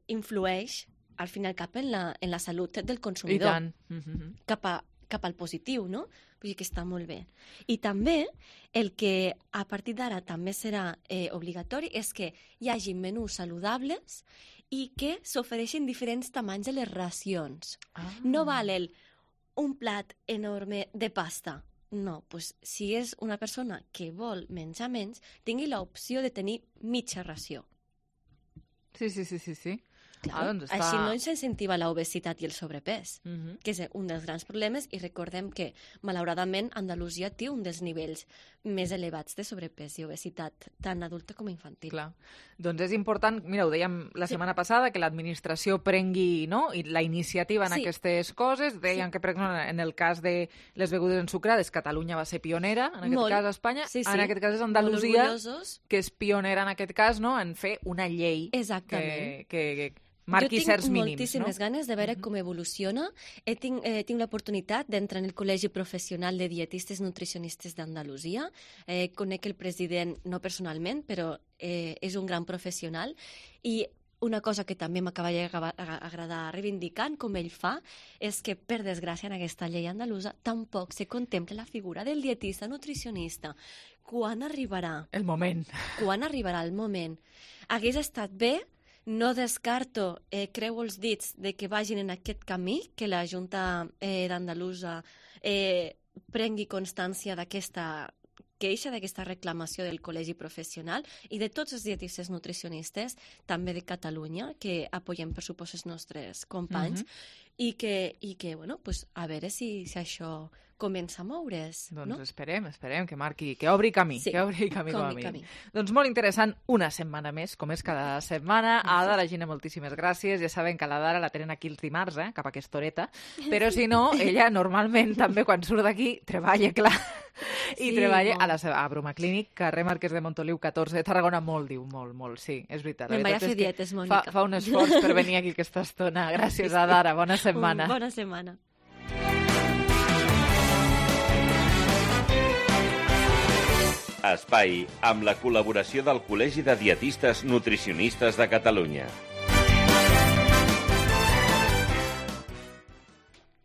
influeix al final cap en la salut del consumidor. I tant. Cap al positiu, no? Vull dir que està molt bé. I també el que a partir d'ara també serà obligatori és que hi hagi menús saludables i que s'ofereixin diferents tamanys de les racions. No val un plat enorme de pasta. No, doncs si és una persona que vol menjar menys, tingui l'opció de tenir mitja ració. Sí. Clar, doncs així no s'incentiva l'obesitat i el sobrepès, que és un dels grans problemes, i recordem que, malauradament, Andalusia té un dels nivells més elevats de sobrepès i obesitat, tant adulta com infantil. Clar. Doncs és important, mira, ho dèiem la setmana passada, que l'administració prengui la iniciativa en aquestes coses. Dèiem que, per exemple, en el cas de les begudes ensucrades, Catalunya va ser pionera, en aquest cas a Espanya. En aquest cas és Andalusia, que és pionera en aquest cas, en fer una llei que marqui certs mínims. Jo tinc moltíssimes ganes de veure com evoluciona. Tinc l'oportunitat d'entrar en el Col·legi Professional de Dietistes Nutricionistes d'Andalusia. Conec el president, no personalment, però és un gran professional. I una cosa que també m'acabaria d'agradar reivindicant, com ell fa, és que, per desgràcia, en aquesta llei andalusa tampoc se contempla la figura del dietista nutricionista. Quan arribarà? El moment. Quan arribarà el moment? Hagués estat bé. No descarto, creu els dits, de que vagin en aquest camí, que la Junta d'Andalusa prengui constància d'aquesta queixa, d'aquesta reclamació del Col·legi Professional i de tots els dietistes nutricionistes, també de Catalunya, que apoyem, per supost, els nostres companys, i que bueno, pues, a veure si això comença a moure's. Doncs esperem que obri camí, que obri camí com a mínim. Doncs molt interessant, una setmana més, com és cada setmana. A la Gina, moltíssimes gràcies. Ja saben que la Dara la tenen aquí els dimarts, cap a aquesta horeta, però si no, ella normalment també quan surt d'aquí treballa, clar, i treballa a Broma Clínic, carrer Marquès de Montoliu 14 de Tarragona, molt, sí, és veritat. Me'n vaig a fer dietes, Mònica. Fa un esforç per venir aquí aquesta estona. Gràcies, Dara, bona setmana. Bona setmana. Espai amb la col·laboració del Col·legi de Dietistes Nutricionistes de Catalunya.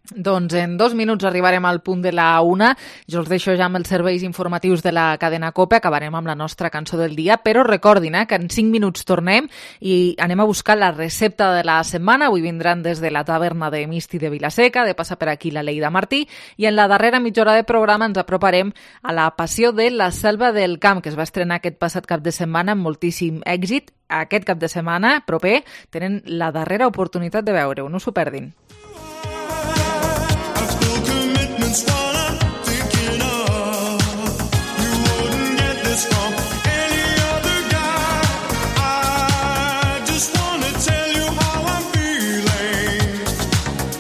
Doncs en 2 minuts arribarem al punt de la 1. Jo els deixo ja amb els serveis informatius de la cadena COPE. Acabarem amb la nostra cançó del dia, però recordin que en 5 minuts tornem i anem a buscar la recepta de la setmana. Avui vindran des de la taverna de Misti de Vilaseca, de passar per aquí la Leida Martí, i en la darrera mitja hora de programa ens aproparem a la Passió de la Selva del Camp, que es va estrenar aquest passat cap de setmana amb moltíssim èxit. Aquest cap de setmana proper tenen la darrera oportunitat de veure-ho, no s'ho perdin. While I'm thinking of you wouldn't get this from any other guy. I just wanna tell you how I'm feeling.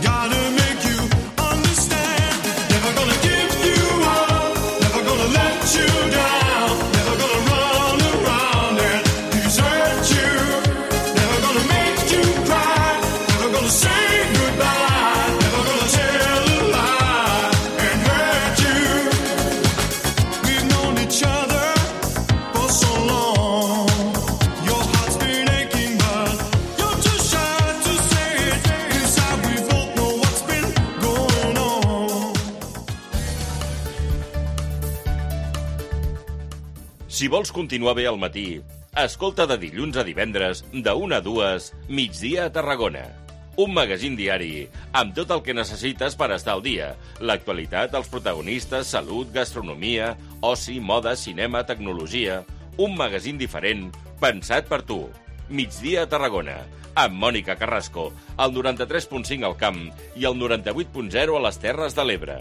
Gotta make you understand. Never gonna give you up. Never Si vols continuar bé al matí, escolta de dilluns a divendres, de 1 a 2, Migdia a Tarragona. Un magazín diari amb tot el que necessites per estar al dia. L'actualitat, els protagonistes, salut, gastronomia, oci, moda, cinema, tecnologia. Un magazín diferent, pensat per tu. Migdia a Tarragona, amb Mònica Carrasco, al 93.5 al Camp i al 98.0 a les Terres de l'Ebre.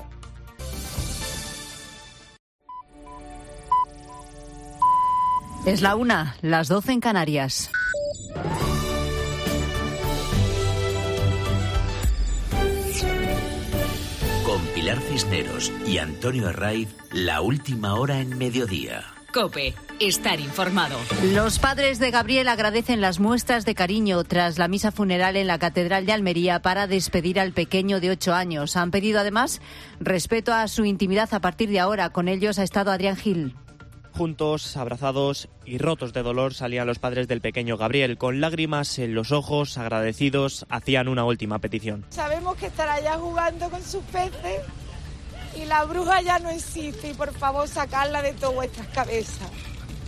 Es la 1, las 12 en Canarias. Con Pilar Cisneros y Antonio Arraiz, la última hora en mediodía. COPE. Estar informado. Los padres de Gabriel agradecen las muestras de cariño tras la misa funeral en la Catedral de Almería para despedir al pequeño de 8 años. Han pedido además respeto a su intimidad a partir de ahora. Con ellos ha estado Adrián Gil. Juntos, abrazados y rotos de dolor salían los padres del pequeño Gabriel. Con lágrimas en los ojos, agradecidos, hacían una última petición. Sabemos que estará ya jugando con sus peces y la bruja ya no existe y por favor sacarla de todas vuestras cabezas.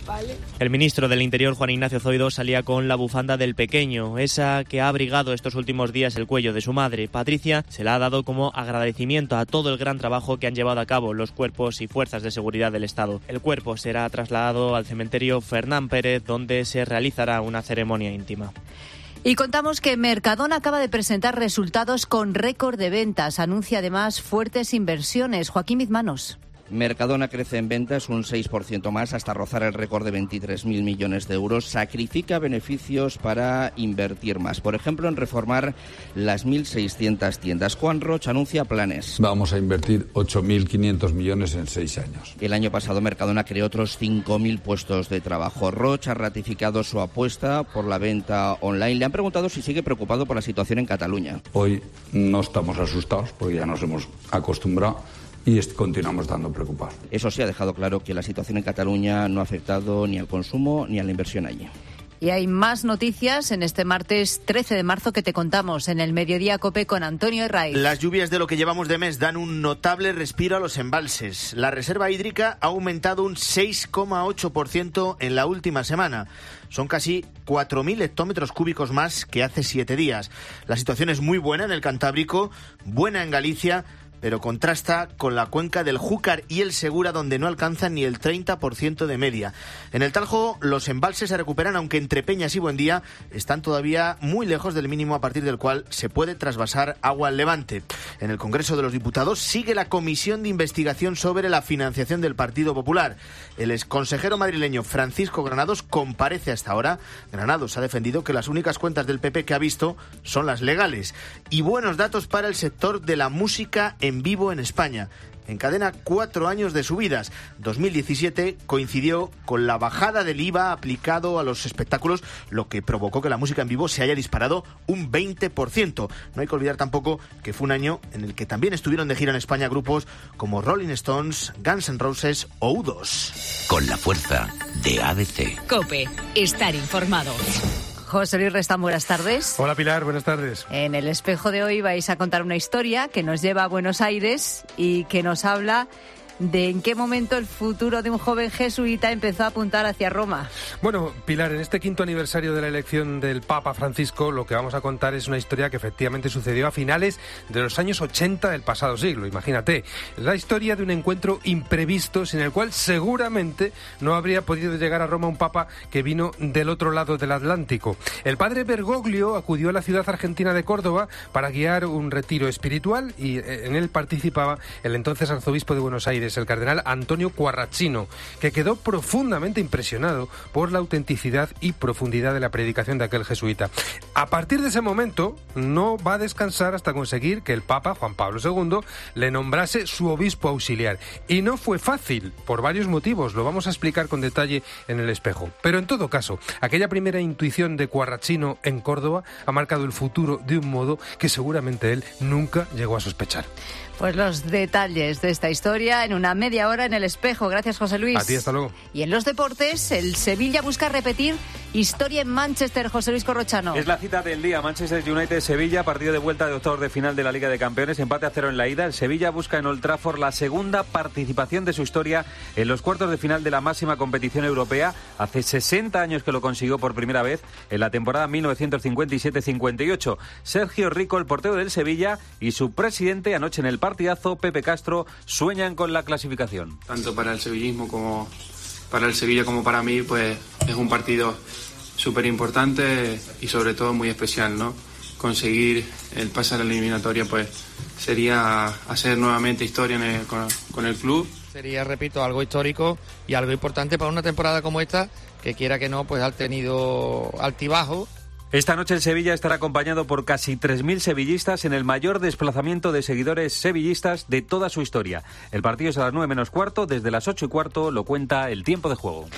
¿Vale? El ministro del Interior, Juan Ignacio Zoido, salía con la bufanda del pequeño, esa que ha abrigado estos últimos días el cuello de su madre. Patricia se la ha dado como agradecimiento a todo el gran trabajo que han llevado a cabo los cuerpos y fuerzas de seguridad del Estado. El cuerpo será trasladado al cementerio Fernán Pérez, donde se realizará una ceremonia íntima. Y contamos que Mercadona acaba de presentar resultados con récord de ventas. Anuncia además fuertes inversiones. Joaquín Mizmanos. Mercadona crece en ventas un 6% más hasta rozar el récord de 23.000 millones de euros. Sacrifica beneficios para invertir más. Por ejemplo, en reformar las 1.600 tiendas. Juan Roch anuncia planes. Vamos a invertir 8.500 millones en 6 años. El año pasado Mercadona creó otros 5.000 puestos de trabajo. Roch ha ratificado su apuesta por la venta online. Le han preguntado si sigue preocupado por la situación en Cataluña. Hoy no estamos asustados porque ya nos hemos acostumbrado y continuamos estando preocupados. Eso sí, ha dejado claro que la situación en Cataluña no ha afectado ni al consumo ni a la inversión allí. Y hay más noticias en este martes 13 de marzo que te contamos en el Mediodía COPE con Antonio Herraiz. Las lluvias de lo que llevamos de mes dan un notable respiro a los embalses. La reserva hídrica ha aumentado un 6,8% en la última semana. Son casi 4.000 hectómetros cúbicos más que hace 7 días. La situación es muy buena en el Cantábrico, buena en Galicia, pero contrasta con la cuenca del Júcar y el Segura, donde no alcanzan ni el 30% de media. En el Tajo los embalses se recuperan, aunque entre Peñas y Buendía están todavía muy lejos del mínimo a partir del cual se puede trasvasar agua al Levante. En el Congreso de los Diputados sigue la comisión de investigación sobre la financiación del Partido Popular. El exconsejero madrileño Francisco Granados comparece hasta ahora. Granados ha defendido que las únicas cuentas del PP que ha visto son las legales. Y buenos datos para el sector de la música en vivo en España. Encadena 4 años de subidas. 2017 coincidió con la bajada del IVA aplicado a los espectáculos, lo que provocó que la música en vivo se haya disparado un 20%. No hay que olvidar tampoco que fue un año en el que también estuvieron de gira en España grupos como Rolling Stones, Guns N' Roses o U2. Con la fuerza de ABC. COPE. Estar informado. José Luis Restán, buenas tardes. Hola Pilar, buenas tardes. En el espejo de hoy vais a contar una historia que nos lleva a Buenos Aires y que nos habla de en qué momento el futuro de un joven jesuita empezó a apuntar hacia Roma. Bueno, Pilar, en este 5º aniversario de la elección del Papa Francisco, lo que vamos a contar es una historia que efectivamente sucedió a finales de los años 80 del pasado siglo, imagínate. La historia de un encuentro imprevisto sin el cual seguramente no habría podido llegar a Roma un Papa que vino del otro lado del Atlántico. El padre Bergoglio acudió a la ciudad argentina de Córdoba para guiar un retiro espiritual y en él participaba el entonces arzobispo de Buenos Aires, el cardenal Antonio Quarracino, que quedó profundamente impresionado por la autenticidad y profundidad de la predicación de aquel jesuita. A partir de ese momento, no va a descansar hasta conseguir que el Papa, Juan Pablo II, le nombrase su obispo auxiliar. Y no fue fácil, por varios motivos, lo vamos a explicar con detalle en el espejo. Pero en todo caso, aquella primera intuición de Quarracino en Córdoba ha marcado el futuro de un modo que seguramente él nunca llegó a sospechar. Pues los detalles de esta historia en una media hora en el espejo. Gracias, José Luis. A ti, hasta luego. Y en los deportes, el Sevilla busca repetir Historia en Manchester, José Luis Corrochano. Es la cita del día, Manchester United-Sevilla, partido de vuelta de octavos de final de la Liga de Campeones, empate a 0 en la ida. El Sevilla busca en Old Trafford la segunda participación de su historia en los cuartos de final de la máxima competición europea. Hace 60 años que lo consiguió por primera vez en la temporada 1957-58. Sergio Rico, el portero del Sevilla, y su presidente, anoche en el partidazo, Pepe Castro, sueñan con la clasificación. Tanto para el sevillismo como para el Sevilla como para mí, pues es un partido súper importante y sobre todo muy especial, ¿no? Conseguir el pase a la eliminatoria, pues sería hacer nuevamente historia con el club. Sería, repito, algo histórico y algo importante para una temporada como esta, que quiera que no, pues ha tenido altibajo. Esta noche el Sevilla estará acompañado por casi 3.000 sevillistas en el mayor desplazamiento de seguidores sevillistas de toda su historia. El partido es a las 9 menos cuarto, desde las 8 y cuarto lo cuenta el tiempo de juego.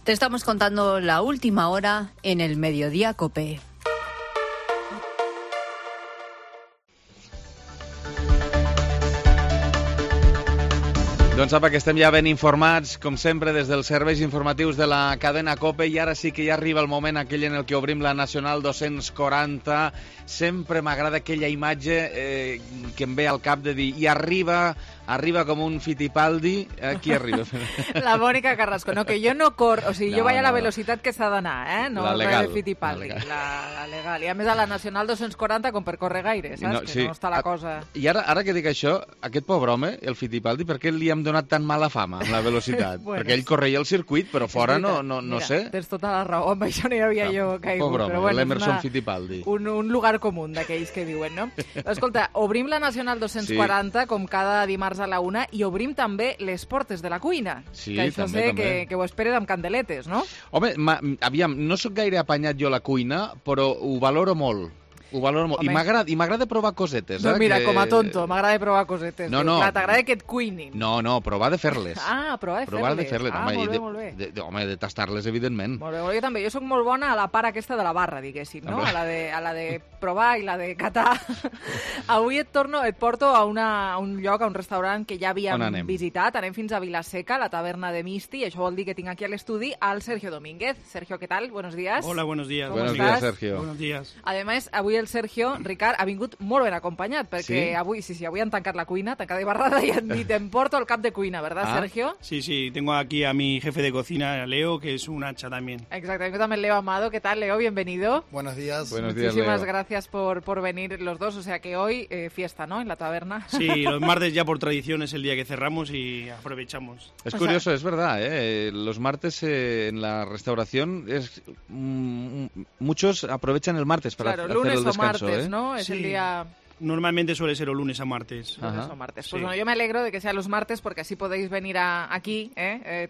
Te estamos contando la última hora en el Mediodía COPE. Doncs apa, que estem ja ben informats, com sempre, des dels serveis informatius de la cadena COPE, i ara sí que ja arriba el moment aquell en el que obrim la Nacional 240. Sempre m'agrada aquella imatge que em ve al cap de dir, i arriba com un Fittipaldi. Qui arriba? La Mònica Carrasco. No, que jo no corro, o sigui, jo vaig a la velocitat que s'ha d'anar, No la legal, de Fittipaldi, la legal. I a més a la Nacional 240 com per córrer gaire, saps? No, sí. Que no està la cosa... I ara que dic això, aquest pobre home, el Fittipaldi, per què li hem donat tan mala fama amb la velocitat? Bueno, perquè ell correia el circuit, però fora no Mira, sé. Tens tota la raó, amb això no hi havia jo caigut. Pobre home, però bueno, l'Emerson Fittipaldi. Un lugar comú d'aquells que diuen, no? Escolta, obrim la Nacional 240 com cada dimarts a la 1 i obrim també les portes de la cuina. Sí, que això també, sé que ho esperes amb candeletes, no? Home, aviam, no sóc gaire apanyat jo a la cuina, però ho valoro molt. Ho valoro molt. I m'agrada provar cosetes. No, mira, com a tonto, m'agrada provar cosetes. No. Clar, t'agrada que et cuinin. No, provar de fer-les. Ah, provar de fer-les. Home, molt bé. Home, de tastar-les, evidentment. Molt bé, jo també. Jo sóc molt bona a la part aquesta de la barra, diguéssim, no? A la de provar i la de catar. Avui et porto a un lloc, a un restaurant que ja havíem visitat. Anem fins a Vilaseca, la taverna de Misti, i això vol dir que tinc aquí a l'estudi al Sergio Domínguez. Sergio, ¿qué tal? Buenos días. Hola, buenos días. Buenos días, Sergio. Buenos días. Además, avui el Sergio, Ricard, ha vingut molt ben acompanyat, perquè avui han tancat la cuina, tancada i barrada, i han dit, em porto el cap de cuina, ¿verdad, Sergio? Sí, tengo aquí a mi jefe de cocina, Leo, que es un hacha también. Exactamente, también Leo Amado. ¿Qué tal, Leo? Bienvenido. Buenos días. Muchísimas gracias por venir los dos, o sea que hoy fiesta, ¿no?, en la taberna. Sí, los martes ya por tradición es el día que cerramos y aprovechamos. Es curioso, es verdad, los martes en la restauración muchos aprovechan el martes para hacer el descanso. Lunes o martes, ¿no? Es el día... Normalmente suele ser o lunes a martes. Lunes o martes. Pues bueno, yo me alegro de que sea los martes porque así podéis venir aquí.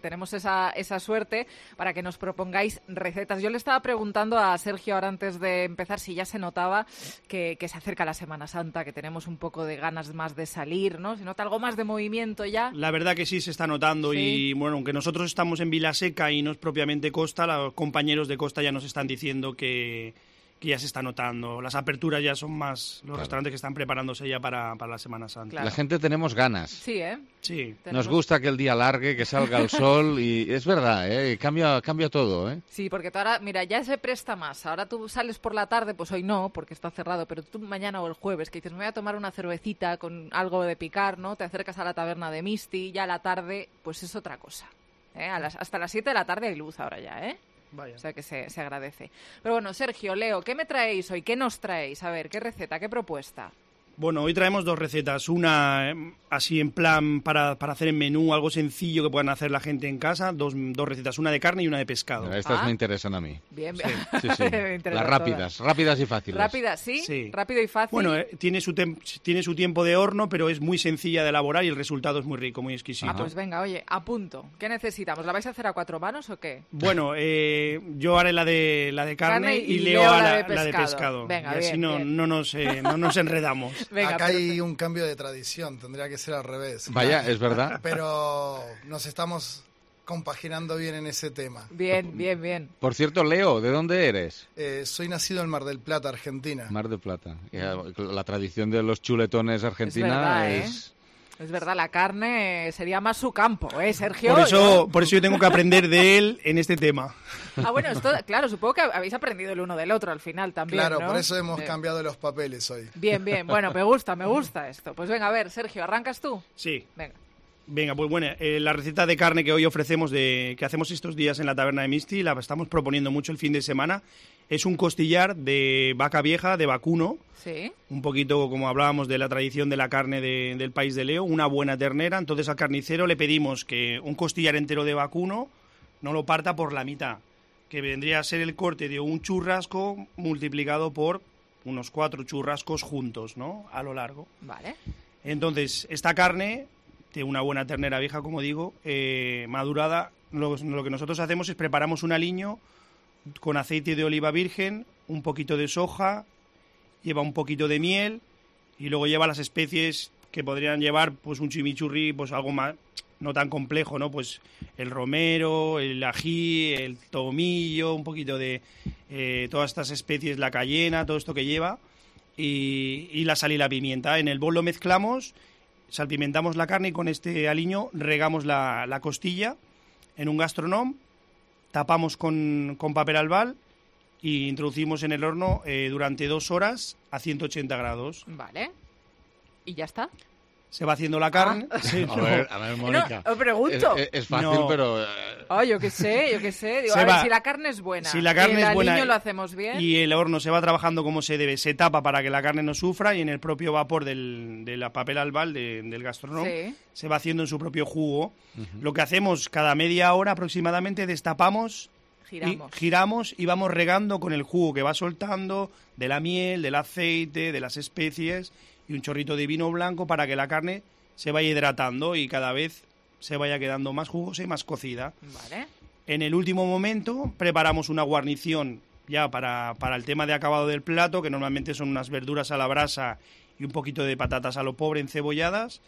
Tenemos esa suerte para que nos propongáis recetas. Yo le estaba preguntando a Sergio ahora antes de empezar si ya se notaba que se acerca la Semana Santa, que tenemos un poco de ganas más de salir, ¿no? ¿Se nota algo más de movimiento ya? La verdad que sí se está notando y bueno, aunque nosotros estamos en Vilaseca y no es propiamente costa, los compañeros de costa ya nos están diciendo que ya se está notando. Las aperturas ya son más los restaurantes que están preparándose ya para la Semana Santa. Claro. La gente tenemos ganas. Sí, Sí. Nos gusta que el día largue, que salga el sol y es verdad, cambia todo, Sí, porque tú ahora, mira, ya se presta más. Ahora tú sales por la tarde, pues hoy no, porque está cerrado, pero tú mañana o el jueves, que dices, me voy a tomar una cervecita con algo de picar, ¿no? Te acercas a la taberna de Misti, ya a la tarde, pues es otra cosa. Hasta las 7 de la tarde hay luz ahora ya, Vaya. O sea que se agradece. Pero bueno, Sergio, Leo, ¿qué me traéis hoy? ¿Qué nos traéis? A ver, ¿qué receta, qué propuesta? Bueno, hoy traemos dos recetas. Una así en plan para hacer en menú, algo sencillo que puedan hacer la gente en casa. Dos recetas, una de carne y una de pescado. Estas me interesan a mí. Bien. Sí. Las rápidas y fáciles. ¿Rápidas, sí? Rápido y fácil. Bueno, tiene su tiempo de horno, pero es muy sencilla de elaborar y el resultado es muy rico, muy exquisito. Pues venga, oye, apunto. ¿Qué necesitamos? ¿La vais a hacer a 4 manos o qué? Bueno, yo haré la de carne y Leo la de pescado. Venga, y así bien. No nos enredamos. Venga, acá hay un cambio de tradición, tendría que ser al revés. Vaya, es verdad. Pero nos estamos compaginando bien en ese tema. Bien. Por cierto, Leo, ¿de dónde eres? Soy nacido en Mar del Plata, Argentina. Mar del Plata. La tradición de los chuletones argentina es... Verdad, Es verdad, la carne sería más su campo, Sergio? Por eso yo tengo que aprender de él en este tema. Bueno, esto, claro, supongo que habéis aprendido el uno del otro al final también, Claro, ¿no? por eso hemos cambiado los papeles hoy. Bien, bueno, me gusta esto. Pues venga, a ver, Sergio, ¿arrancas tú? Sí. Venga, pues bueno, la receta de carne que hoy ofrecemos, que hacemos estos días en la taberna de Misti, la estamos proponiendo mucho el fin de semana. Es un costillar de vaca vieja, de vacuno. Sí. Un poquito como hablábamos de la tradición de la carne del país de Leo, una buena ternera. Entonces al carnicero le pedimos que un costillar entero de vacuno no lo parta por la mitad, que vendría a ser el corte de un churrasco multiplicado por unos 4 churrascos juntos, ¿no? A lo largo. Vale. Entonces, esta carne, de una buena ternera vieja, como digo, madurada, lo que nosotros hacemos es preparamos un aliño con aceite de oliva virgen, un poquito de soja, lleva un poquito de miel y luego lleva las especies que podrían llevar pues un chimichurri, pues algo más no tan complejo, ¿no? Pues el romero, el ají, el tomillo, un poquito de todas estas especies, la cayena, todo esto que lleva y la sal y la pimienta. En el bol lo mezclamos, salpimentamos la carne y con este aliño regamos la costilla en un gastronome, tapamos con papel albal y introducimos en el horno durante 2 horas a 180 grados. Vale. ¿Y ya está? Se va haciendo la carne. Sí, a ver, Mónica. No, pregunto. Es fácil, pero... yo qué sé. Digo, a ver, si la carne es buena, si la carne es buena, aliño lo hacemos bien. Y el horno se va trabajando como se debe, se tapa para que la carne no sufra y en el propio vapor del papel albal, del gastronome, se va haciendo en su propio jugo. Lo que hacemos cada media hora aproximadamente, destapamos, giramos y vamos regando con el jugo que va soltando de la miel, del aceite, de las especies y un chorrito de vino blanco para que la carne se vaya hidratando y cada vez se vaya quedando más jugosa y más cocida. Vale. En el último momento preparamos una guarnición ya para el tema de acabado del plato, que normalmente son unas verduras a la brasa y un poquito de patatas a lo pobre encebolladas.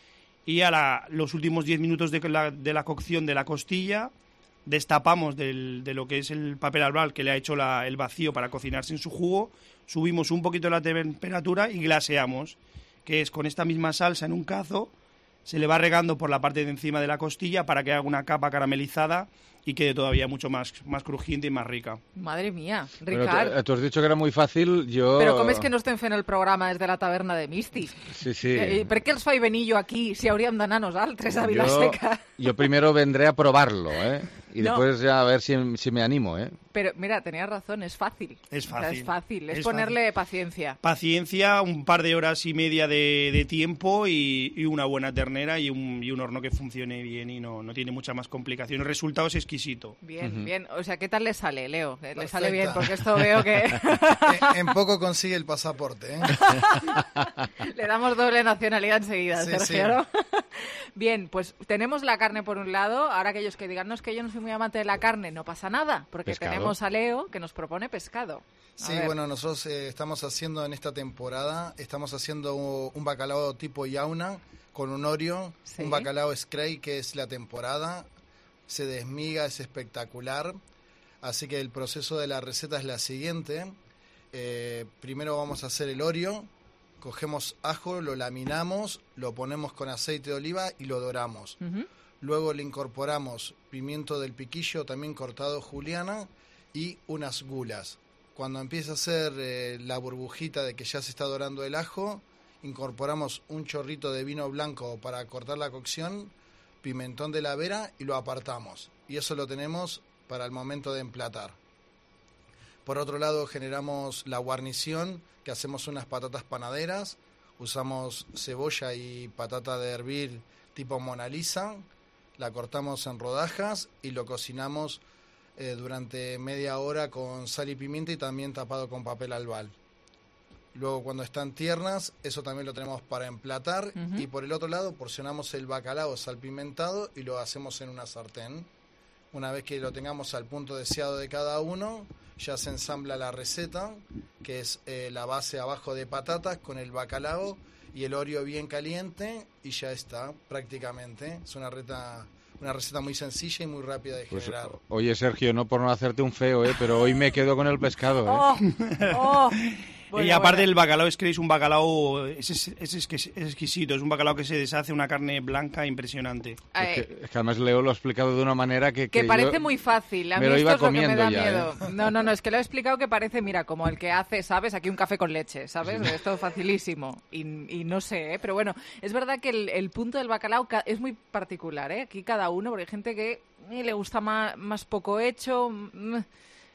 Y los últimos 10 minutos de la cocción de la costilla destapamos de lo que es el papel albal que le ha hecho el vacío para cocinarse en su jugo, subimos un poquito la temperatura y glaseamos, que es con esta misma salsa en un cazo, se le va regando por la parte de encima de la costilla para que haga una capa caramelizada y quede todavía mucho más crujiente y más rica. Madre mía, Ricard. Bueno, tú has dicho que era muy fàcil, jo... Però com és que no estem fent el programa des de la taverna de Misti? Sí. Per què els fa venir jo aquí si hauríem d'anar nosaltres a Vilaseca? Yo primero vendré a probarlo, y No. después ya a ver si me animo, Pero mira, tenías razón, es fácil. Es fácil. O sea, es fácil, es Es ponerle paciencia. Paciencia, un par de horas y media de tiempo y una buena ternera y un horno que funcione bien y no tiene mucha más complicación. El resultado es exquisito. Bien, bien. O sea, ¿qué tal le sale, Leo? Le sale bien, porque esto veo que... En poco consigue el pasaporte, Le damos doble nacionalidad enseguida, Sí, Sergio, sí. ¿no? Bien, pues tenemos la carne por un lado. Ahora aquellos que digan, no, es que yo no soy muy amante de la carne, no pasa nada, porque Pescado. tenemos a Leo que nos propone pescado. A Sí, ver. bueno, nosotros estamos haciendo en esta temporada, estamos haciendo un bacalao tipo yauna con un orio, un bacalao scray que es la temporada, se desmiga, es espectacular, así que el proceso de la receta es la siguiente. Primero vamos a hacer el orio, cogemos ajo, lo laminamos, lo ponemos con aceite de oliva y lo doramos. Luego le incorporamos pimiento del piquillo, también cortado juliana, y unas gulas. Cuando empieza a hacer la burbujita de que ya se está dorando el ajo, incorporamos un chorrito de vino blanco para cortar la cocción, pimentón de la vera y lo apartamos. Y eso lo tenemos para el momento de emplatar. Por otro lado, generamos la guarnición, que hacemos unas patatas panaderas, usamos cebolla y patata de hervir tipo Mona Lisa, la cortamos en rodajas y lo cocinamos durante media hora con sal y pimienta y también tapado con papel albal. Luego, cuando están tiernas, eso también lo tenemos para emplatar. Y por el otro lado, porcionamos el bacalao salpimentado y lo hacemos en una sartén. Una vez que lo tengamos al punto deseado de cada uno, ya se ensambla la receta, que es la base abajo de patatas con el bacalao y el orio bien caliente, y ya está, prácticamente. Es una receta muy sencilla y muy rápida de Pues, generar. oye, Sergio, no por no hacerte un feo, pero hoy me quedo con el pescado, Oh, Y aparte el bacalao es que es un bacalao es exquisito, es un bacalao que se deshace, una carne blanca impresionante. Es que además Leo lo ha explicado de una manera que parece muy fácil. A mí lo esto iba es lo que me da comiendo miedo. ya, No, es que lo he explicado que parece, mira, como el que hace, ¿sabes? Aquí un café con leche, ¿sabes? Sí. Esto es facilísimo. Y no sé, pero bueno, es verdad que el punto del bacalao es muy particular, ¿eh? Aquí cada uno, porque hay gente que le gusta más poco hecho.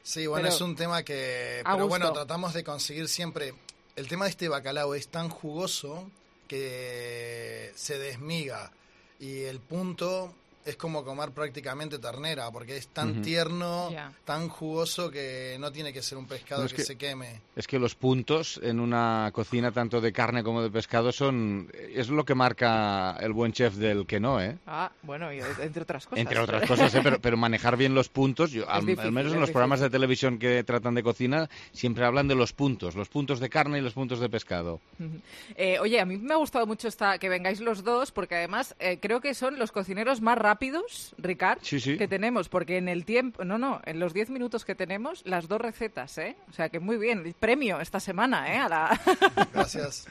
Sí, bueno, es un tema que... Pero bueno, tratamos de conseguir siempre... El tema de este bacalao es tan jugoso que se desmiga. Y el punto es como comer prácticamente ternera, porque es tan tierno, tan jugoso que no tiene que ser un pescado que se queme. Es que los puntos en una cocina, tanto de carne como de pescado, es lo que marca el buen chef del que no, ¿eh? Bueno, entre otras cosas. Entre otras cosas, pero manejar bien los puntos, al menos en los programas de televisión que tratan de cocina, siempre hablan de los puntos de carne y los puntos de pescado. Oye, a mí me ha gustado mucho que vengáis los dos, porque además creo que son los cocineros más rápidos, Ricard, que tenemos, porque en el tiempo, en los 10 minutos que tenemos, las 2 recetas, ¿eh? O sea que muy bien, premio esta semana, ¿eh? Gracias.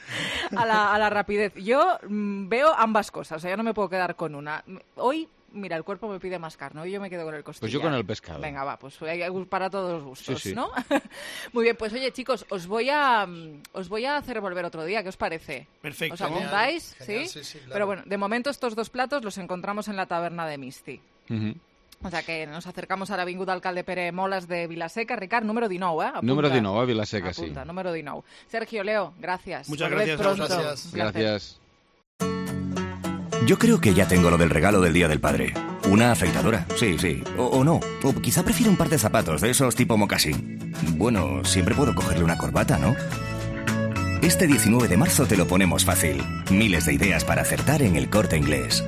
a la rapidez. Yo veo ambas cosas, o sea, yo no me puedo quedar con una. Hoy, mira, el cuerpo me pide más carne, hoy yo me quedo con el costillar. Pues yo con el pescado. Venga, va, pues para todos los gustos, sí. ¿no? Muy bien, pues oye, chicos, os voy a hacer volver otro día, ¿qué os parece? Perfecto. ¿Os apuntáis? Genial, ¿Sí? claro. Pero bueno, de momento estos 2 platos los encontramos en la taberna de Misti. O sea que nos acercamos a l'Avinguda Alcalde Pere Moles de Vilaseca. Ricard, número 19, ¿eh? Apunta. Número 19, Vilaseca, Apunta, número 19. Sergio, Leo, gracias. Muchas Volved gracias. pronto. Gracias. Yo creo que ya tengo lo del regalo del Día del Padre. Una afeitadora, sí. O no. O quizá prefiero un par de zapatos de esos tipo mocasín. Bueno, siempre puedo cogerle una corbata, ¿no? Este 19 de marzo te lo ponemos fácil. Miles de ideas para acertar en El Corte Inglés.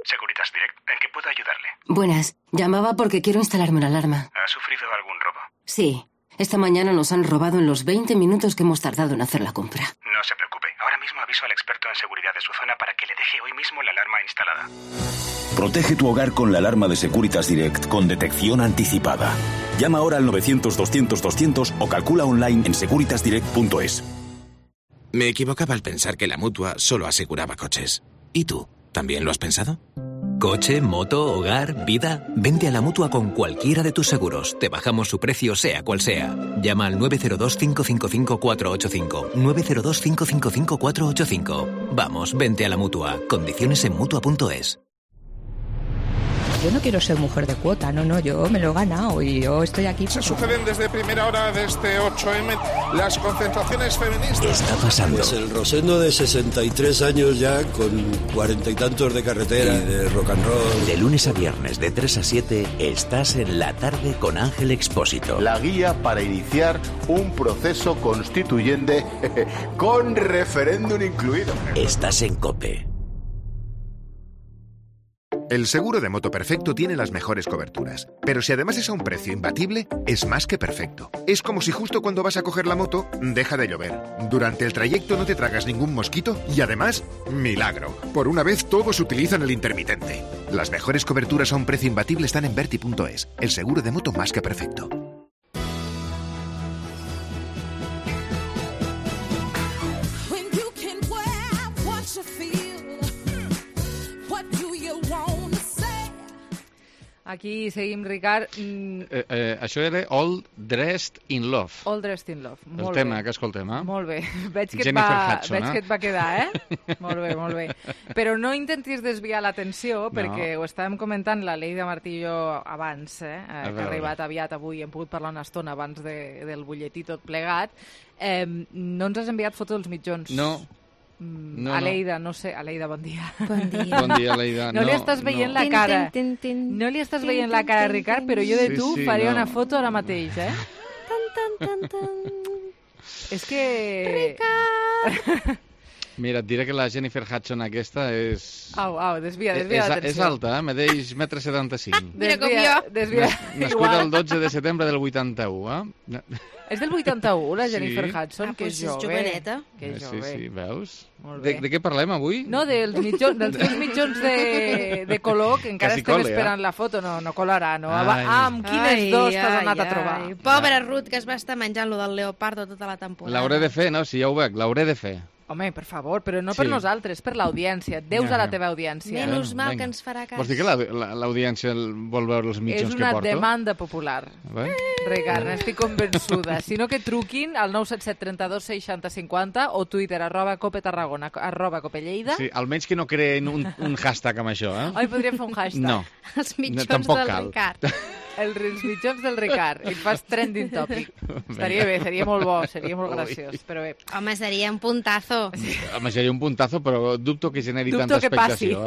Securitas Direct, ¿en qué puedo ayudarle? Buenas, llamaba porque quiero instalarme una alarma. ¿Ha sufrido algún robo? Sí, esta mañana nos han robado en los 20 minutos que hemos tardado en hacer la compra. No se preocupe, ahora mismo aviso al experto en seguridad de su zona para que le deje hoy mismo la alarma instalada. Protege tu hogar con la alarma de Securitas Direct con detección anticipada. Llama ahora al 900-200-200 o calcula online en securitasdirect.es. Me equivocaba al pensar que la Mutua solo aseguraba coches. ¿Y tú? ¿También lo has pensado? Coche, moto, hogar, vida. Vente a la Mutua con cualquiera de tus seguros. Te bajamos su precio sea cual sea. Llama al 902-555-485. 902-555-485. Vamos, vente a la Mutua. Condiciones en Mutua.es. Yo no quiero ser mujer de cuota, no, yo me lo he ganado y yo estoy aquí. Se suceden desde primera hora de este 8M las concentraciones feministas. ¿Qué está pasando? Pues el Rosendo de 63 años ya, con 40 y tantos de carretera y de rock and roll. De lunes a viernes de 3 a 7 estás en La Tarde con Ángel Expósito. La guía para iniciar un proceso constituyente con referéndum incluido. Estás en COPE. El seguro de moto perfecto tiene las mejores coberturas, pero si además es a un precio imbatible, es más que perfecto. Es como si justo cuando vas a coger la moto, deja de llover. Durante el trayecto no te tragas ningún mosquito y además, milagro. Por una vez todos utilizan el intermitente. Las mejores coberturas a un precio imbatible están en Verti.es, el seguro de moto más que perfecto. Aquí seguim, Ricard. Això era All Dressed in Love. All Dressed in Love. El tema que escoltem, eh? Molt bé. Veig que Hudson, et va quedar, eh? Molt bé. Però no intentis desviar l'atenció, perquè ho estàvem comentant la Leida Martí i jo abans, que ha arribat aviat avui, hem pogut parlar una estona abans del butlletí tot plegat. No ens has enviat foto dels mitjons. No. Aleida, no sé. Aleida, bon dia. Bon dia, Aleida. No li estàs veient la cara. No li estàs veient la cara, Ricard, però jo de tu faria una foto ara mateix, eh? És que... Ricard! Mira, et diré que la Jennifer Hudson aquesta és... Au, desvia l'atenció. És alta, medeix 1,75 m. Mira com jo. Desvia. Nascuda el 12 de setembre del 81, És del 81, la Jennifer Hudson, que és jove. joveneta. Que és jove. Sí, veus? Molt bé. De què parlem avui? No, dels teus mitjons de color, que encara estem esperant la foto. No colarà, no? Amb quines dos t'has anat a trobar? Pobra Ruth, que es va estar menjant lo del leopardo tota la temporada. L'hauré de fer, no? Si ja ho veig, l'hauré de fer. Home, per favor, però no per nosaltres, per l'audiència. Deus a la teva audiència. Menys mal que ens farà cas. Vols dir que l'audiència vol veure els mitjons que porto? És una demanda popular. Ricard, n'estic convençuda. Si no, que truquin al 977 32 60 50 o Twitter, @copetarragona, @copelleida. Sí, almenys que no creen un hashtag amb això, eh? Ai, podríem fer un hashtag. No. Els mitjons del Ricard. Els mitjons del Ricard. I et fas trending topic. Estaria bé, seria molt bo, seria molt graciós. Però bé. Home, seria un puntazo. Home, seria un puntazo, però dubto que generi tanta expectació.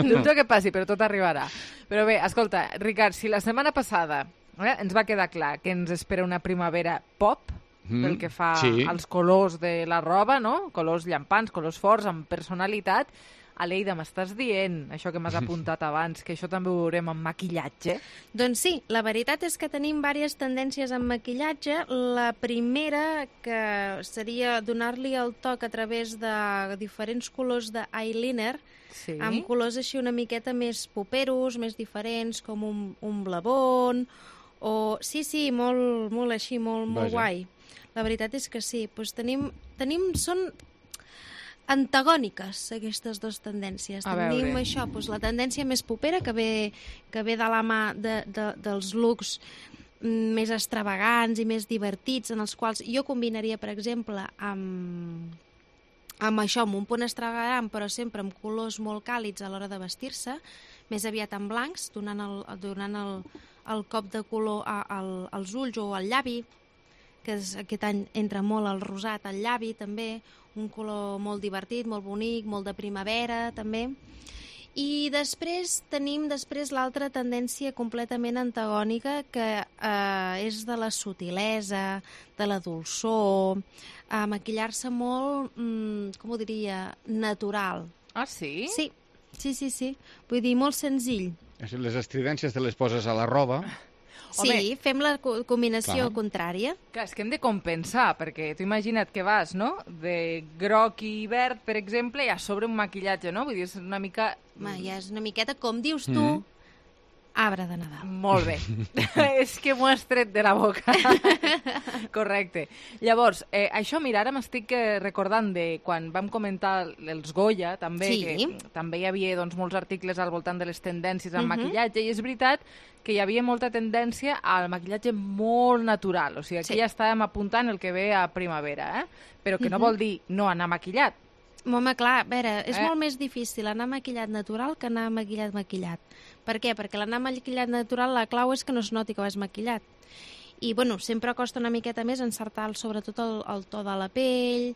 Dubto que passi, però tot arribarà. Però bé, escolta, Ricard, si la setmana passada ens va quedar clar que ens espera una primavera pop, pel que fa als colors de la roba, no? Colors llampants, colors forts, amb personalitat. Aleida, m'estàs dient, això que m'has apuntat abans, que això també ho veurem amb maquillatge? Doncs sí, la veritat és que tenim diverses tendències en maquillatge. La primera, que seria donar-li el toc a través de diferents colors d'eyeliner, amb colors així una miqueta més poperos, més diferents, com un blavon, o... Sí, molt així, molt guai. La veritat és que sí. Doncs són antagòniques aquestes dues tendències. Tenim això, doncs, la tendència més popera que ve de la mà dels looks més extravagants i més divertits, en els quals jo combinaria, per exemple, amb això, amb un punt extravagant, però sempre amb colors molt càlids a l'hora de vestir-se, més aviat en blancs, donant el cop de color als ulls o al llavi, que aquest any entra molt el rosat al llavi, també, un color molt divertit, molt bonic, molt de primavera, també. I després tenim l'altra tendència completament antagònica, que és de la sutilesa, de la dolçor, maquillar-se molt, com ho diria, natural. Ah, sí? Sí. Vull dir, molt senzill. Les estridències te les poses a la roba. Sí, fem la combinació contrària. Clar, és que hem de compensar, perquè tu imagina't que vas, no?, de groc i verd, per exemple, i a sobre un maquillatge, no? Vull dir, és una mica... Ja és una miqueta, com dius tu, arbre de Nadal. Molt bé. És que m'ho has tret de la boca. Correcte. Llavors, això, mira, ara m'estic recordant de quan vam comentar els Goya, també, que també hi havia molts articles al voltant de les tendències en maquillatge, i és veritat que hi havia molta tendència al maquillatge molt natural. O sigui, aquí ja estàvem apuntant el que ve a primavera, però que no vol dir no anar maquillat. Home, clar, a veure, és molt més difícil anar maquillat natural que anar maquillat. Per què? Perquè l'anar maquillat natural, la clau és que no es noti que vas maquillat. I, bueno, sempre costa una miqueta més encertar sobretot el to de la pell.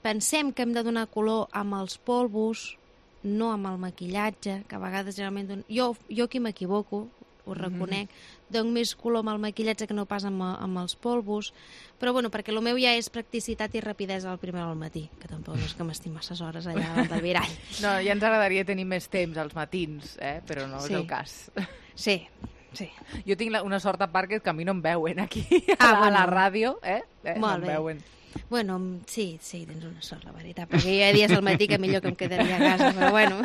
Pensem que hem de donar color amb els polvos, no amb el maquillatge, que a vegades generalment... Jo aquí m'equivoco, ho reconec, dono més color amb el maquillatge que no pas amb els polvos, però bueno, perquè el meu ja és practicitat i rapidesa al primer al matí, que tampoc és que m'estic masses hores allà davant del mirall. No, ja ens agradaria tenir més temps als matins, però no és el cas. Sí. Jo tinc una sort a part que a mi no em veuen aquí, a la ràdio, no em veuen. Bueno, sí, tens una sort, la veritat, perquè hi ha dies al matí que millor que em quedaria a casa, però bueno.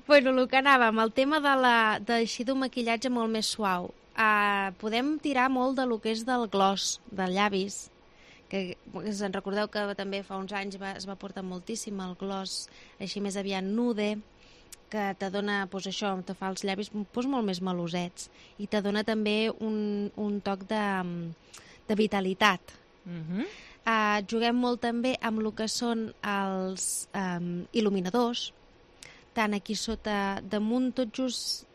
Bueno, el que anàvem, el tema d'així d'un maquillatge molt més suau. Podem tirar molt de lo que és del gloss, dels llavis, que se'n recordeu que també fa uns anys es va portar moltíssim el gloss així més aviat nude, que te dona, doncs això, te fa els llavis molt més melosets i te dona també un toc de vitalitat. Juguem molt també amb el que són els il·luminadors, tant aquí sota, damunt tot just...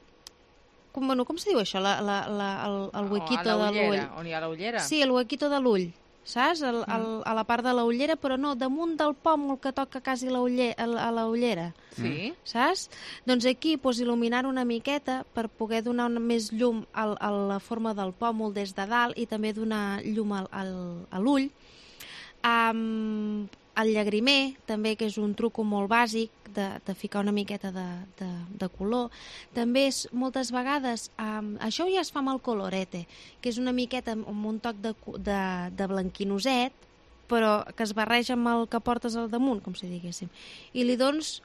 Com se diu això? El huequito de l'ull. On hi ha la ullera? Sí, el huequito de l'ull, saps? A la part de la ullera, però no, damunt del pòmul que toca quasi a la ullera. Sí. Saps? Doncs aquí, il·luminar una miqueta per poder donar més llum a la forma del pòmul des de dalt i també donar llum a l'ull. El llagrimer, també, que és un truc molt bàsic de ficar una miqueta de color. També és, moltes vegades, això ja es fa amb el colorete, que és una miqueta amb un toc de blanquinoset, però que es barreja amb el que portes al damunt, com si diguéssim. I li dones,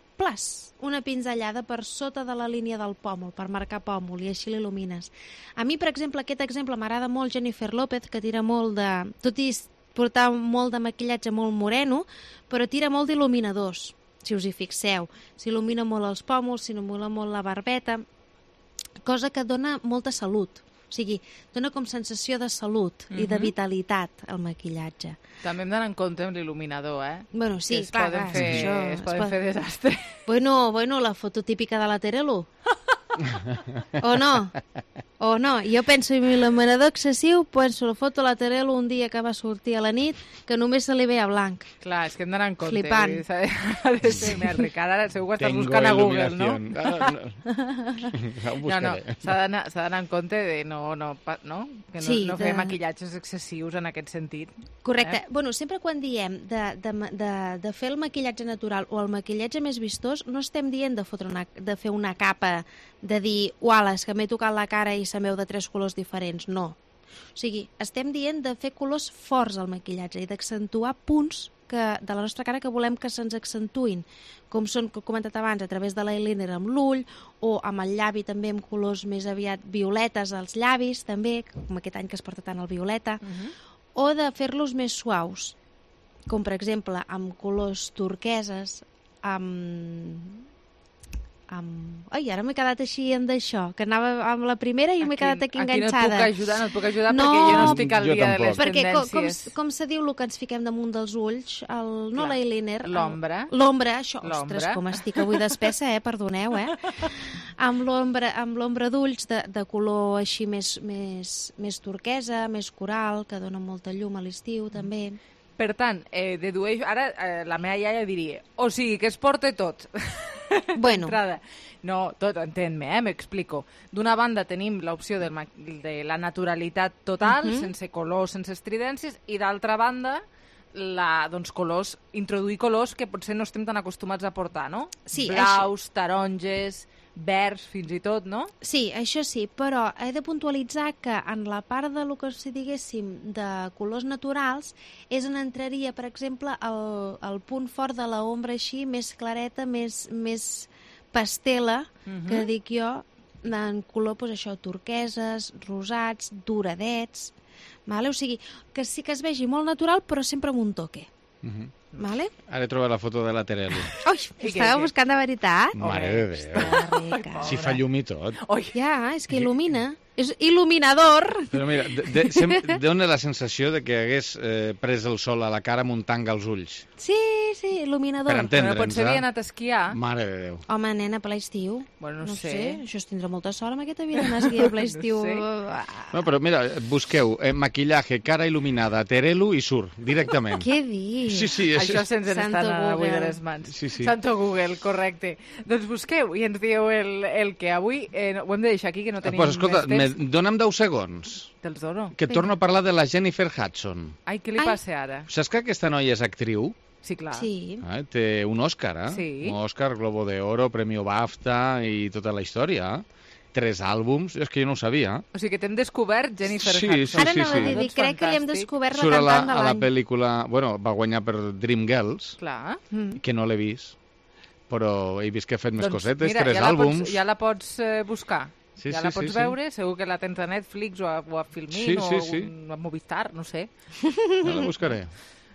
una pinzellada per sota de la línia del pòmul, per marcar pòmul, i així l'il·lumines. A mi, per exemple, aquest exemple m'agrada molt Jennifer López, que tira molt de... Tot i portar molt de maquillatge molt moreno, però tira molt d'il·luminadors, si us hi fixeu. S'il·lumina molt els pòmuls, s'il·lumina molt la barbeta, cosa que dona molta salut. O sigui, dona com sensació de salut i de vitalitat al maquillatge. També hem d'anar en compte amb l'il·luminador, eh? Bueno, sí, es poden fer desastre. Bueno, la foto típica de la Terelu. O no? O no? Jo penso en l'il·luminador excessiu, penso la foto a la Terelu un dia que va sortir a la nit, que només se li veia blanc. Clar, és que hem d'anar en compte. Flipant. Ha de ser més ric. Ara segur que estàs buscant a Google, no? No, s'ha d'anar en compte de que no fer maquillatges excessius en aquest sentit. Correcte. Bueno, sempre quan diem de fer el maquillatge natural o el maquillatge més vistós, no estem dient de fer una capa, de dir, uala, és que m'he tocat la cara i se'm veu de 3 colors diferents. No. O sigui, estem dient de fer colors forts al maquillatge i d'accentuar punts de la nostra cara que volem que se'ns accentuïn, com són, que he comentat abans, a través de l'eyeliner amb l'ull, o amb el llavi també amb colors més aviat violetes als llavis, també, com aquest any que es porta tant el violeta, o de fer-los més suaus, com per exemple amb colors turqueses, Ai, ara m'he quedat així amb d'això, que anava amb la primera i m'he quedat aquí enganxada. Aquí no et puc ajudar perquè jo no estic al dia de les tendències. Perquè, com se diu el que ens fiquem damunt dels ulls, no l'eyeliner. L'ombra. L'ombra, això, ostres, com estic avui d'espessa, perdoneu, Amb l'ombra d'ulls de color així més turquesa, més coral, que dona molta llum a l'estiu, també. Per tant, dedueixo... Ara la meva iaia diria, o sigui, que es porta tot. Bueno. No, tot, entén-me, m'explico. D'una banda tenim l'opció de la naturalitat total, sense colors, sense estridències, i d'altra banda, introduir colors que potser no estem tan acostumats a portar, no? Sí, blaus, taronges, verds, fins i tot, no? Sí, això sí, però he de puntualitzar que en la part de lo que si diguéssim de colors naturals és on entraria, per exemple, el punt fort de l'ombra així, més clareta, més pastela, que dic jo, en color, doncs això, turqueses, rosats, doradets, vale? O sigui, que sí que es vegi molt natural, però sempre amb un toque. Vale? Ara he trobat la foto de la Terelu. Ui, estava buscant de veritat? Mare de Déu. Si fa llum i tot. Ja, és que il·lumina. És il·luminador. Però mira, dona la sensació de que hagués pres el sol a la cara muntant els ulls. Sí, il·luminador. Per entendre'ns, potser havia anat a esquiar. Mare de Déu. Home, nena, per l'estiu. Bueno, no sé. Això es tindrà molta sort amb aquesta vida d'anar a esquiar per l'estiu. No, però mira, busqueu maquillaje, cara il·luminada, Terelu i surt, directament. Què dius? Sí. Això se'ns està anant avui de les mans. Sí. Santo Google, correcte. Doncs busqueu i ens dieu el que avui... ho hem de deixar aquí, que no tenim pues, escolta, més temps. Dona'm 10 segons. Te'ls dono. Que torno a parlar de la Jennifer Hudson. Ai, què li passa ara? Saps que aquesta noia és actriu? Sí, clar. Sí. Té un Òscar, Sí. Un Òscar, Globo de Oro, Premio BAFTA i tota la història. 3 àlbums, és que jo no ho sabia. O sigui que t'hem descobert Jennifer Hudson. Ara anava a dir, crec que li hem descobert la cantant de l'any. Surt a la pel·lícula... Bueno, va guanyar per Dreamgirls, clar. Que no l'he vist, però he vist que ha fet més cosetes, mira, 3 àlbums. Ja la pots buscar. Sí, ja la pots veure, segur que la tens a Netflix o a Filmin o a Movistar, no sé. Ja la buscaré.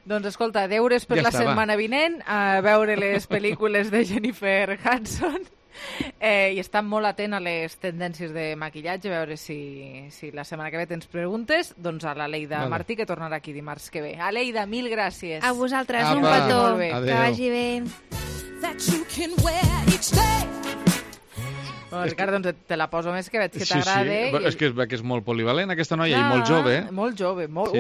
Doncs escolta, deures per la setmana vinent, a veure les pel·lícules de Jennifer Hudson i estar molt atent a les tendències de maquillatge, a veure si la setmana que ve tens preguntes, doncs a l'Aleida Martí, que tornarà aquí dimarts que ve. Aleida, mil gràcies. A vosaltres, un petó. Que vagi bé. Bueno, Ricard, doncs te la poso més que veig que t'agrada. Sí. És que és molt polivalent aquesta noia i molt jove. Molt jove, molt.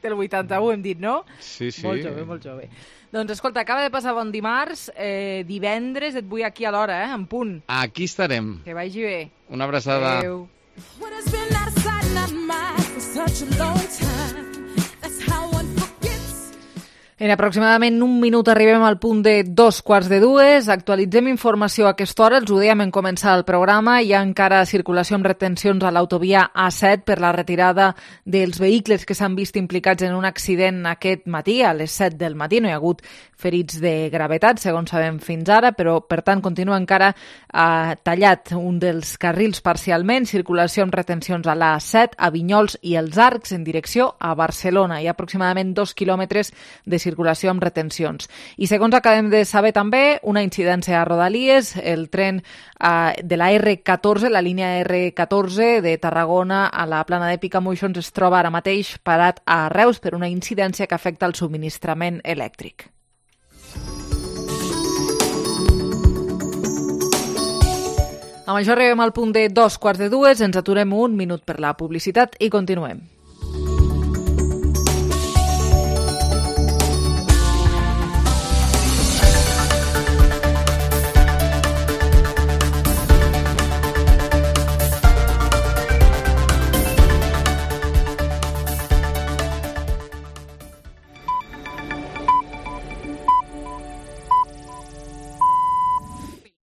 Del 81 hem dit, no? Sí. Molt jove. Doncs escolta, acaba de passar bon dimarts, divendres et vull aquí a l'hora, en punt. Aquí estarem. Que vagi bé. Una abraçada. Adéu. En aproximadament un minut arribem al punt de 2:45. Actualitzem informació a aquesta hora. Els ho dèiem en començar el programa. Hi ha encara circulació amb retencions a l'autovia A7 per la retirada dels vehicles que s'han vist implicats en un accident aquest matí, a les 7 del matí. No hi ha hagut ferits de gravetat, segons sabem fins ara, però, per tant, continua encara tallat un dels carrils parcialment. Circulació amb retencions a l'A7, a Vinyols i els Arcs en direcció a Barcelona. Hi ha aproximadament 2 quilòmetres de circulació amb retencions. I segons acabem de saber també, una incidència a Rodalies, el tren de la R14, la línia R14 de Tarragona a la plana de Picamoixons es troba ara mateix parat a Reus per una incidència que afecta el subministrament elèctric. Amb això arribem al punt de 2:45, ens aturem un minut per la publicitat i continuem.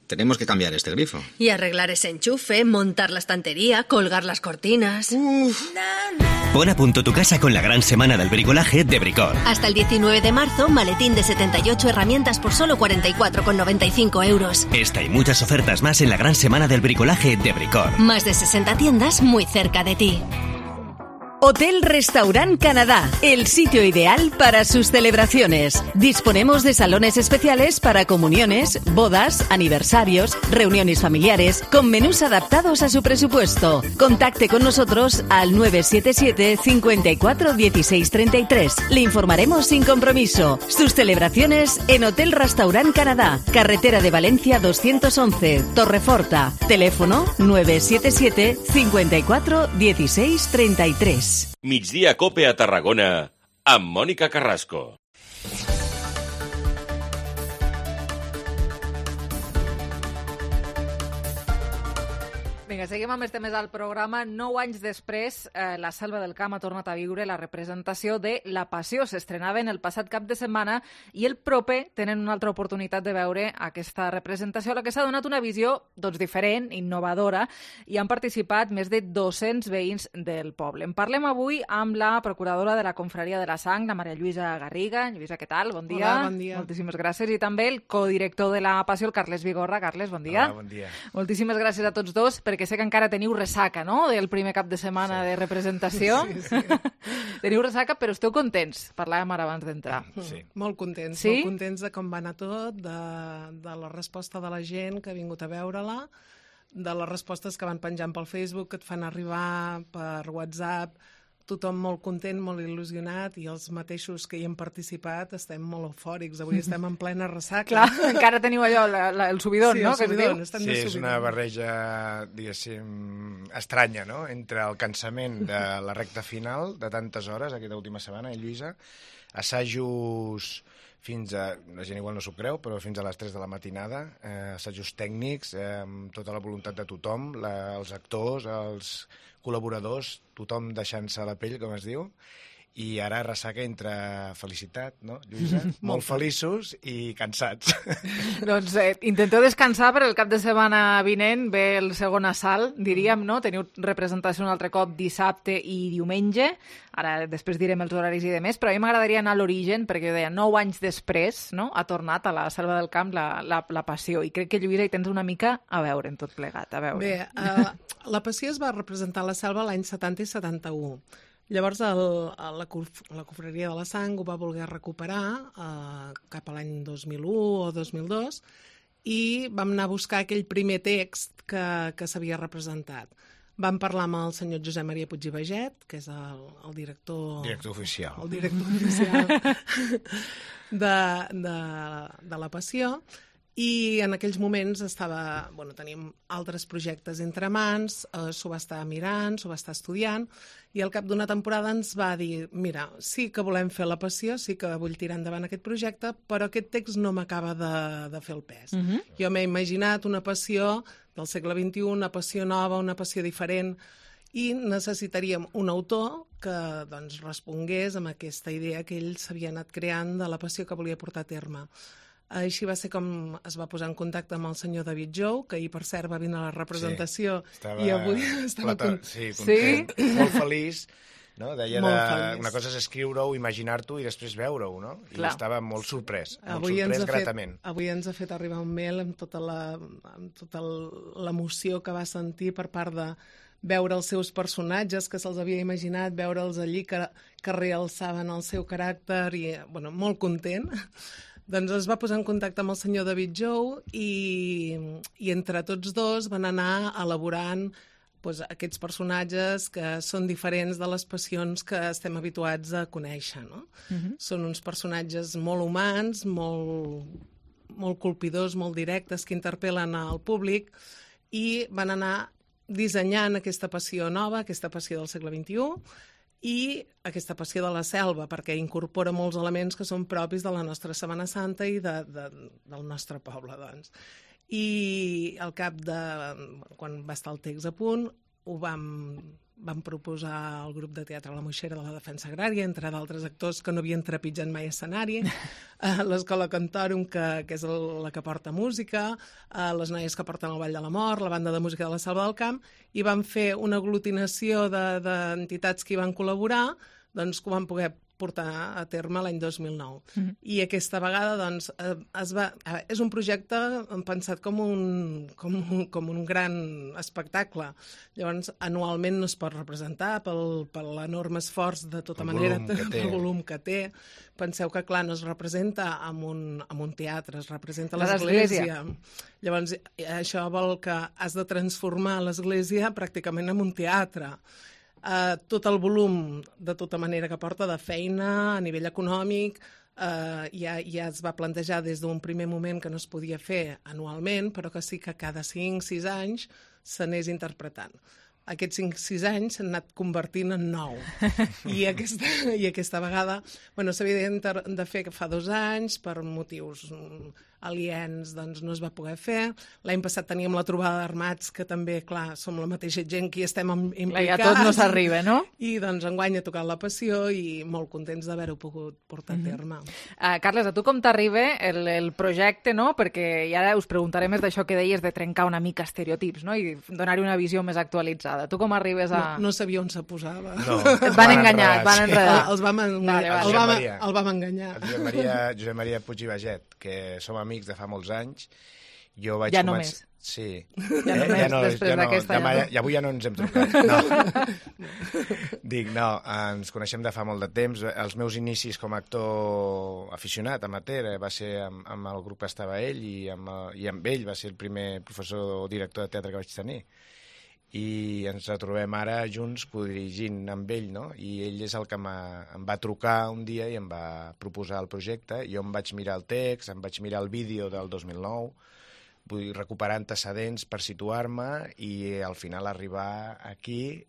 Tenemos que cambiar este grifo. Y arreglar ese enchufe, montar la estantería, colgar las cortinas. Pon a punto tu casa con la gran semana del bricolaje de Bricor. Hasta el 19 de marzo, maletín de 78 herramientas por solo 44,95 euros. Esta y muchas ofertas más en la gran semana del bricolaje de Bricor. Más de 60 tiendas muy cerca de ti. Hotel Restaurant Canadá, el sitio ideal para sus celebraciones. Disponemos de salones especiales para comuniones, bodas, aniversarios, reuniones familiares, con menús adaptados a su presupuesto. Contacte con nosotros al 977 54 16 33. Le informaremos sin compromiso. Sus celebraciones en Hotel Restaurant Canadá, carretera de Valencia 211, Torreforta. Teléfono 977 54 16 33. Migdia Cope a Tarragona, amb Mònica Carrasco. Vinga, seguim amb els temes al programa. 9 anys després, la Selva del Camp ha tornat a viure la representació de La Passió. S'estrenaven el passat cap de setmana i el proper tenen una altra oportunitat de veure aquesta representació, a la que s'ha donat una visió diferent, innovadora, i han participat més de 200 veïns del poble. En parlem avui amb la procuradora de la Confraria de la Sang, la Maria Lluïsa Garriga. Lluïsa, què tal? Bon dia. Hola, bon dia. Moltíssimes gràcies. I també el codirector de La Passió, el Carles Vigorra. Carles, bon dia. Hola, bon dia. Moltíssimes gràcies a tots dos, perquè sé que encara teniu ressaca, no?, del primer cap de setmana de representació. Sí. Teniu ressaca, però esteu contents. Parlàvem ara abans d'entrar. Sí. Molt contents. Sí? Molt contents de com va anar tot, de la resposta de la gent que ha vingut a veure-la, de les respostes que van penjant pel Facebook, que et fan arribar per WhatsApp. Tothom molt content, molt il·lusionat, i els mateixos que hi hem participat estem molt eufòrics. Avui estem en plena ressaca. Clar, encara teniu allò, el subidon, sí, no? Sí, el subidon. Sí, és una barreja, diguéssim, estranya, no?, entre el cansament de la recta final de tantes hores, aquesta última setmana, Lluïsa, assajos fins a, la gent igual no s'ho creu, però fins a les 3 de la matinada, assajos tècnics, amb tota la voluntat de tothom, els actors, els col·laboradors, tothom deixant-se la pell, com es diu, i ara ressaca entre felicitat, no, Lluïsa? Molt feliços i cansats. Doncs intenteu descansar, per el cap de setmana vinent ve el segon assalt, diríem, no? Teniu representació un altre cop dissabte i diumenge, ara després direm els horaris i demés, però a mi m'agradaria anar a l'origen, perquè jo deia, 9 anys després, no?, ha tornat a la Selva del Camp la Passió, i crec que, Lluïsa, hi tens una mica a veure en tot plegat, a veure. Bé, la Passió es va representar a la Selva l'any 70 i 71. Llavors la Confraria de la Sang ho va voler recuperar cap a l'any 2001 o 2002 i vam anar a buscar aquell primer text que s'havia representat. Vam parlar amb el senyor Josep Maria Puig i Baget, que és el director... Director oficial. El director oficial de la Passió. I en aquells moments teníem altres projectes entre mans, s'ho va estar mirant, s'ho va estar estudiant, i al cap d'una temporada ens va dir, mira, sí que volem fer la Passió, sí que vull tirar endavant aquest projecte, però aquest text no m'acaba de fer el pes. Jo m'he imaginat una passió del segle XXI, una passió nova, una passió diferent, i necessitaríem un autor que doncs, respongués amb aquesta idea que ell s'havia anat creant de la passió que volia portar a terme. Així va ser com es va posar en contacte amb el senyor David Jou, que ahir, per cert, va venir a la representació i avui estava content. Molt feliç. No? Deia una cosa és escriure-ho, imaginar-t'ho i després veure-ho, no? I estava molt sorprès, gratament. Avui ens ha fet arribar un mail amb tota l'emoció que va sentir per part de veure els seus personatges, que se'ls havia imaginat, veure'ls allí, que realçaven el seu caràcter, i molt content. Doncs es va posar en contacte amb el senyor David Jou i entre tots dos van anar elaborant aquests personatges que són diferents de les passions que estem habituats a conèixer. No? Són uns personatges molt humans, molt colpidors, molt directes, que interpel·len al públic i van anar dissenyant aquesta passió nova, aquesta passió del segle XXI, i aquesta passió de la selva, perquè incorpora molts elements que són propis de la nostra Setmana Santa i del nostre poble, doncs. I al cap de... quan va estar el text a punt, ho vam proposar al grup de teatre La Moixera de la Defensa Agrària, entre d'altres actors que no havien trepitjat mai escenari, l'Escola Cantorum, que és la que porta música, les noies que porten el Ball de la Mort, la banda de música de la Selva del Camp, i van fer una aglutinació d'entitats que hi van col·laborar, doncs que ho van poder portar a terme l'any 2009. I aquesta vegada, doncs, és un projecte pensat com un gran espectacle. Llavors, anualment no es pot representar per l'enorme esforç, de tota manera, el volum que té. Penseu que, clar, no es representa en un teatre, es representa a l'església. Llavors, això vol que has de transformar l'església pràcticament en un teatre. Tot el volum, de tota manera, que porta de feina a nivell econòmic, ja es va plantejar des d'un primer moment que no es podia fer anualment, però que sí que cada 5-6 anys s'anés interpretant. Aquests 5-6 anys s'han anat convertint en 9. I aquesta vegada s'havia de fer fa 2 anys, per motius aliens, doncs no es va poder fer. L'any passat teníem la trobada d'armats, que també, clar, som la mateixa gent que hi estem implicats. Ja tot no s'arriba, no? I doncs enguany ha tocat la passió i molt contents d'haver-ho pogut portar a terme. Carles, a tu com t'arriba el projecte, no? Perquè ja us preguntaré més d'això que deies de trencar una mica estereotips, no? I donar-hi una visió més actualitzada. Tu com arribes a... No sabia on se posava. No, et van enganyar, et van enredar. El vam enganyar. Josep Maria Puig i Baget, que som amics de fa molts anys. Jo vaig ja només. Sí. Ja només, després d'aquesta... I avui ja no ens hem trucat. Ens coneixem de fa molt de temps. Els meus inicis com a actor aficionat, amateur, va ser amb el grup que estava ell i amb ell va ser el primer professor o director de teatre que vaig tenir. I ens retrobem ara junts codirigint amb ell, no? I ell és el que em va trucar un dia i em va proposar el projecte. Jo em vaig mirar el text, em vaig mirar el vídeo del 2009, vull recuperar antecedents per situar-me i al final arribar aquí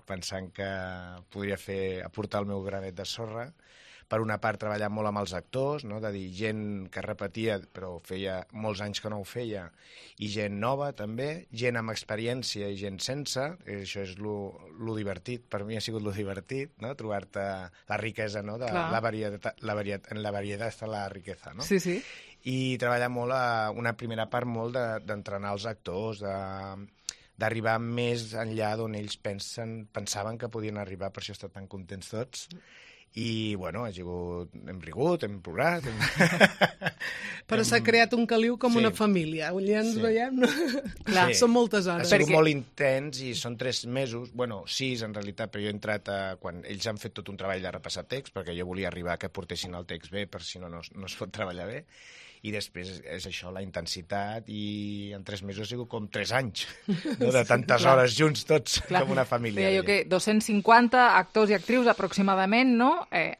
pensant que podria aportar el meu granet de sorra. Per una part, treballar molt amb els actors, no? De dir gent que repetia, però feia molts anys que no ho feia, i gent nova també, gent amb experiència i gent sense, això és lo divertit, per mi ha sigut lo divertit, no? Trobar-te la riquesa, no? De la varietat, en la varietat està la riquesa, no? Sí, sí. I treballar molt, una primera part molt d'entrenar els actors, d'arribar més enllà d'on ells pensaven que podien arribar, per això estan tan contents tots. I, bueno, hem rigut, hem plorat... Però s'ha creat un caliu com una família. Ja ens veiem... Clar, són moltes hores. Ha sigut molt intens i són 3 mesos, 6 en realitat, però jo he entrat quan ells han fet tot un treball de repassar text, perquè jo volia arribar que portessin el text bé, per si no es pot treballar bé. I després és això, la intensitat, i en 3 mesos ha sigut com 3 anys, no? De tantes hores junts tots, com una família. Deia jo que 250 actors i actrius aproximadament, no?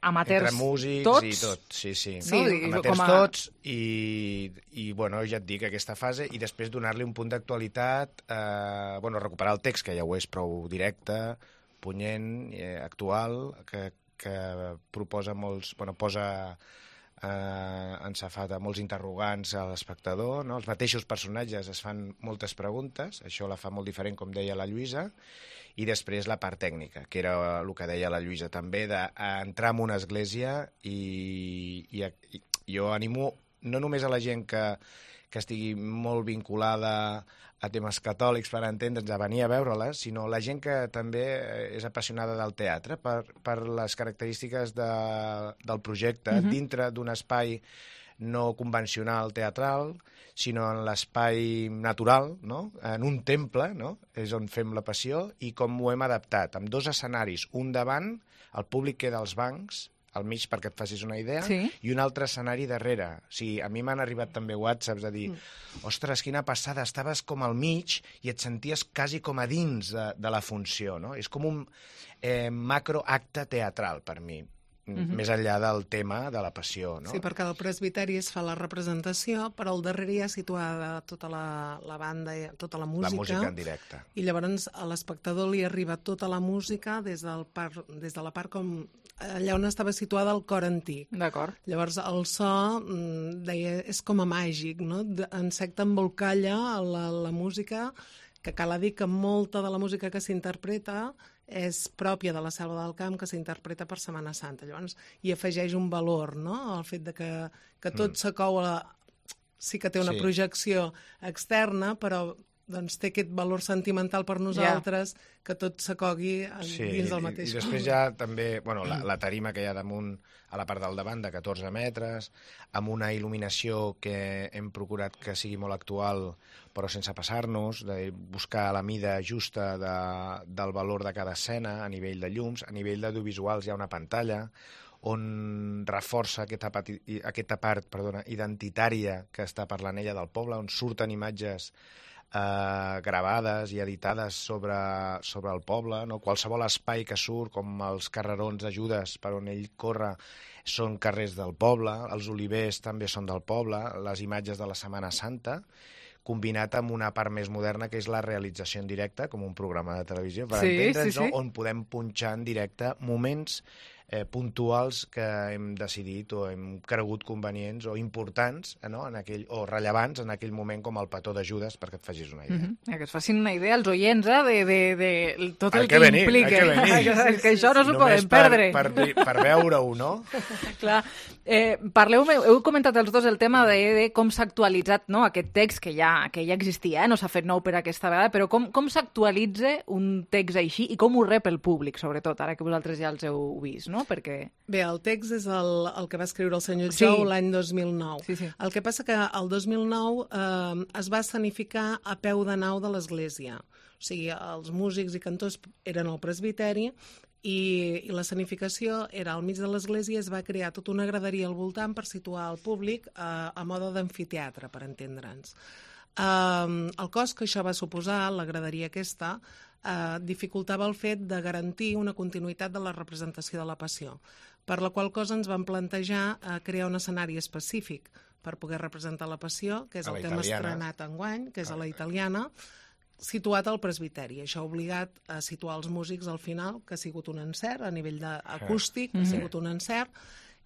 Amateurs entre músics tots. I tot, sí. No? Amateurs tots, i bueno, ja et dic, aquesta fase, i després donar-li un punt d'actualitat, recuperar el text, que ja ho és prou directe, punyent, actual, que proposa molts... posa encefata molts interrogants a l'espectador, no? Els mateixos personatges es fan moltes preguntes, això la fa molt diferent, com deia la Lluïsa, i després la part tècnica, que era el que deia la Lluïsa també, d'entrar en una església i jo animo no només a la gent que estigui molt vinculada a temes catòlics per entendre'ns, a venir a veure-les, sinó la gent que també és apassionada del teatre per les característiques del projecte, dintre d'un espai no convencional teatral, sinó en l'espai natural, no? En un temple, no? És on fem la Passió, i com ho hem adaptat, amb 2 escenaris, un davant, el públic queda als bancs, al mig perquè et facis una idea, i un altre escenari darrere. O sigui, a mi m'han arribat també whatsapps a dir ostres, quina passada, estaves com al mig i et senties quasi com a dins de la funció, no? És com un macroacte teatral per mi, més enllà del tema de la Passió, no? Sí, perquè al presbiteri es fa la representació, però al darrere hi ha situada tota la banda, tota la música. La música en directe. I llavors a l'espectador li arriba tota la música des de la part com allà on estava situada el cor antic. D'acord. Llavors el so, deia, és com a màgic, no? Encec t'embolcalla la música, que cal dir que molta de la música que s'interpreta és pròpia de la Selva del Camp, que s'interpreta per Setmana Santa. Llavors hi afegeix un valor, no? El fet de que tot s'acou sí que té una projecció externa, però doncs té aquest valor sentimental per nosaltres, que tot s'acogui dins del mateix. I després hi ha també la tarima que hi ha damunt, a la part del davant, de 14 metres, amb una il·luminació que hem procurat que sigui molt actual, però sense passar-nos, de buscar la mida justa del valor de cada escena, a nivell de llums, a nivell d'audiovisuals hi ha una pantalla, on reforça aquesta part identitària que està parlant ella del poble, on surten imatges gravades i editades sobre el poble, no? Qualsevol espai que surt, com els carrerons de Judes per on ell corre, són carrers del poble, els olivers també són del poble, les imatges de la Setmana Santa, combinat amb una part més moderna, que és la realització en directe, com un programa de televisió, per entendre'ns, on podem punxar en directe moments puntuals que hem decidit o hem cregut convenients o importants, no? O rellevants en aquell moment, com el petó de Judes, perquè et facis una idea. Que es facin una idea els oients de tot el que implica. Que això no s'ho poden perdre. Per veure-ho, no? Clar. Heu comentat els dos el tema de com s'ha actualitzat aquest text que ja existia, no s'ha fet nou per aquesta vegada, però com s'actualitza un text així i com ho rep el públic, sobretot, ara que vosaltres ja els heu vist, no? Perquè... Bé, el text és el que va escriure el senyor Jou l'any 2009. Sí. El que passa que el 2009 es va escenificar a peu de nau de l'església. O sigui, els músics i cantors eren al presbiteri i l'escenificació era al mig de l'església, es va crear tota una graderia al voltant per situar el públic a mode d'amfiteatre, per entendre'ns. El cost que això va suposar, la graderia aquesta, dificultava el fet de garantir una continuïtat de la representació de la Passió, per la qual cosa ens vam plantejar crear un escenari específic per poder representar la Passió, que és el que hem estrenat enguany, que és a la Italiana, situat al presbiteri. Això ha obligat a situar els músics al final, que ha sigut un encert, a nivell acústic, ha sigut un encert,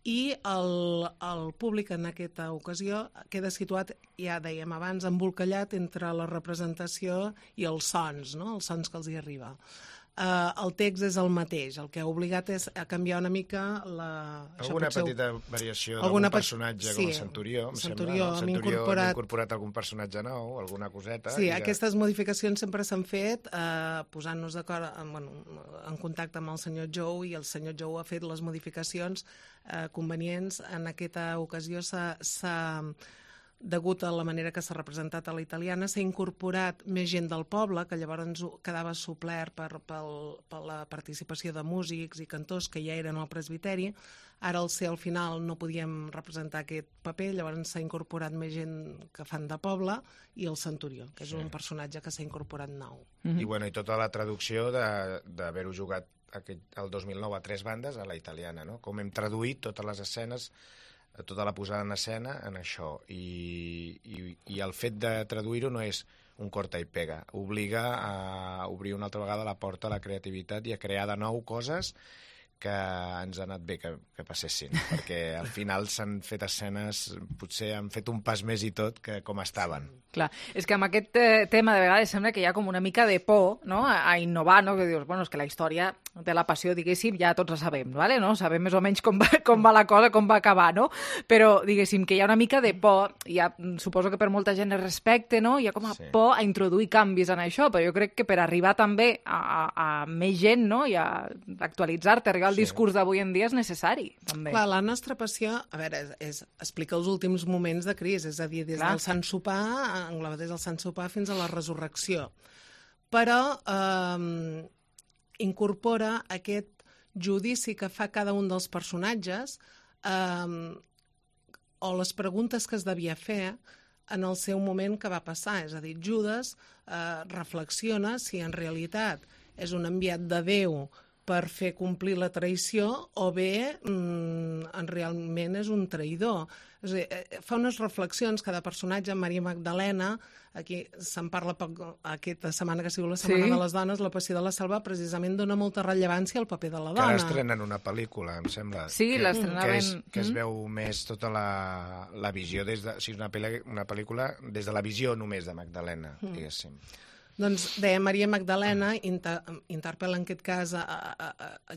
i el públic en aquesta ocasió queda situat, ja dèiem abans, embolcallat entre la representació i els sons, no? Els sons que els hi arriba. El text és el mateix, el que ha obligat és a canviar una mica alguna petita variació d'algun personatge, com el Centurió, em sembla. Hem incorporat algun personatge nou, alguna coseta. Sí, aquestes modificacions sempre s'han fet posant-nos d'acord, en contacte amb el senyor Jou, i el senyor Jou ha fet les modificacions convenients. En aquesta ocasió degut a la manera que s'ha representat a la Italiana, s'ha incorporat més gent del poble, que llavors quedava suplert per la participació de músics i cantors que ja eren al presbiteri. Ara, al final, no podíem representar aquest paper, llavors s'ha incorporat més gent que fan de poble, i el Centurió, que és un personatge que s'ha incorporat nou. I tota la traducció d'haver-ho jugat el 2009 a 3 bandes a la Italiana, no? Com hem traduït totes les escenes, tota la posada en escena en això, i el fet de traduir-ho no és un corta i pega, obliga a obrir una altra vegada la porta a la creativitat i a crear de nou coses que ens ha anat bé que passessin, perquè al final s'han fet escenes, potser han fet un pas més i tot que com estaven. Clar, és que amb aquest tema de vegades sembla que hi ha com una mica de por, no?, a innovar, no?, que dius, bueno, és que la història de la passió, diguéssim, ja tots la sabem, ¿vale? No? Sabem més o menys com va la cosa, com va acabar, no? Però, diguéssim, que hi ha una mica de por, suposo que per molta gent es respecte, no?, hi ha com a por a introduir canvis en això, però jo crec que per arribar també a més gent, no?, i a actualitzar-te, arribar al discurs d'avui en dia és necessari, també. Clar, la nostra passió, a veure, és explicar els últims moments de Crist, és a dir, des del Sant Sopar, engloba des del Sant Sopar fins a la resurrecció. Però incorpora aquest judici que fa cada un dels personatges o les preguntes que es devia fer en el seu moment que va passar. És a dir, Judes reflexiona si en realitat és un enviat de Déu per fer complir la traïció o bé realment és un traïdor. És a dir, fa unes reflexions, cada personatge, Maria Magdalena, aquí se'n parla poc aquesta setmana que ha sigut la Setmana de les Dones, la Passió de la Selva, precisament dona molta rellevància al paper de la dona. Que ara estrenen una pel·lícula, em sembla. Sí, l'estrenaven. Que es veu més tota la visió, una pel·lícula des de la visió només de Magdalena, diguéssim. Doncs deia, Maria Magdalena interpel·la en aquest cas a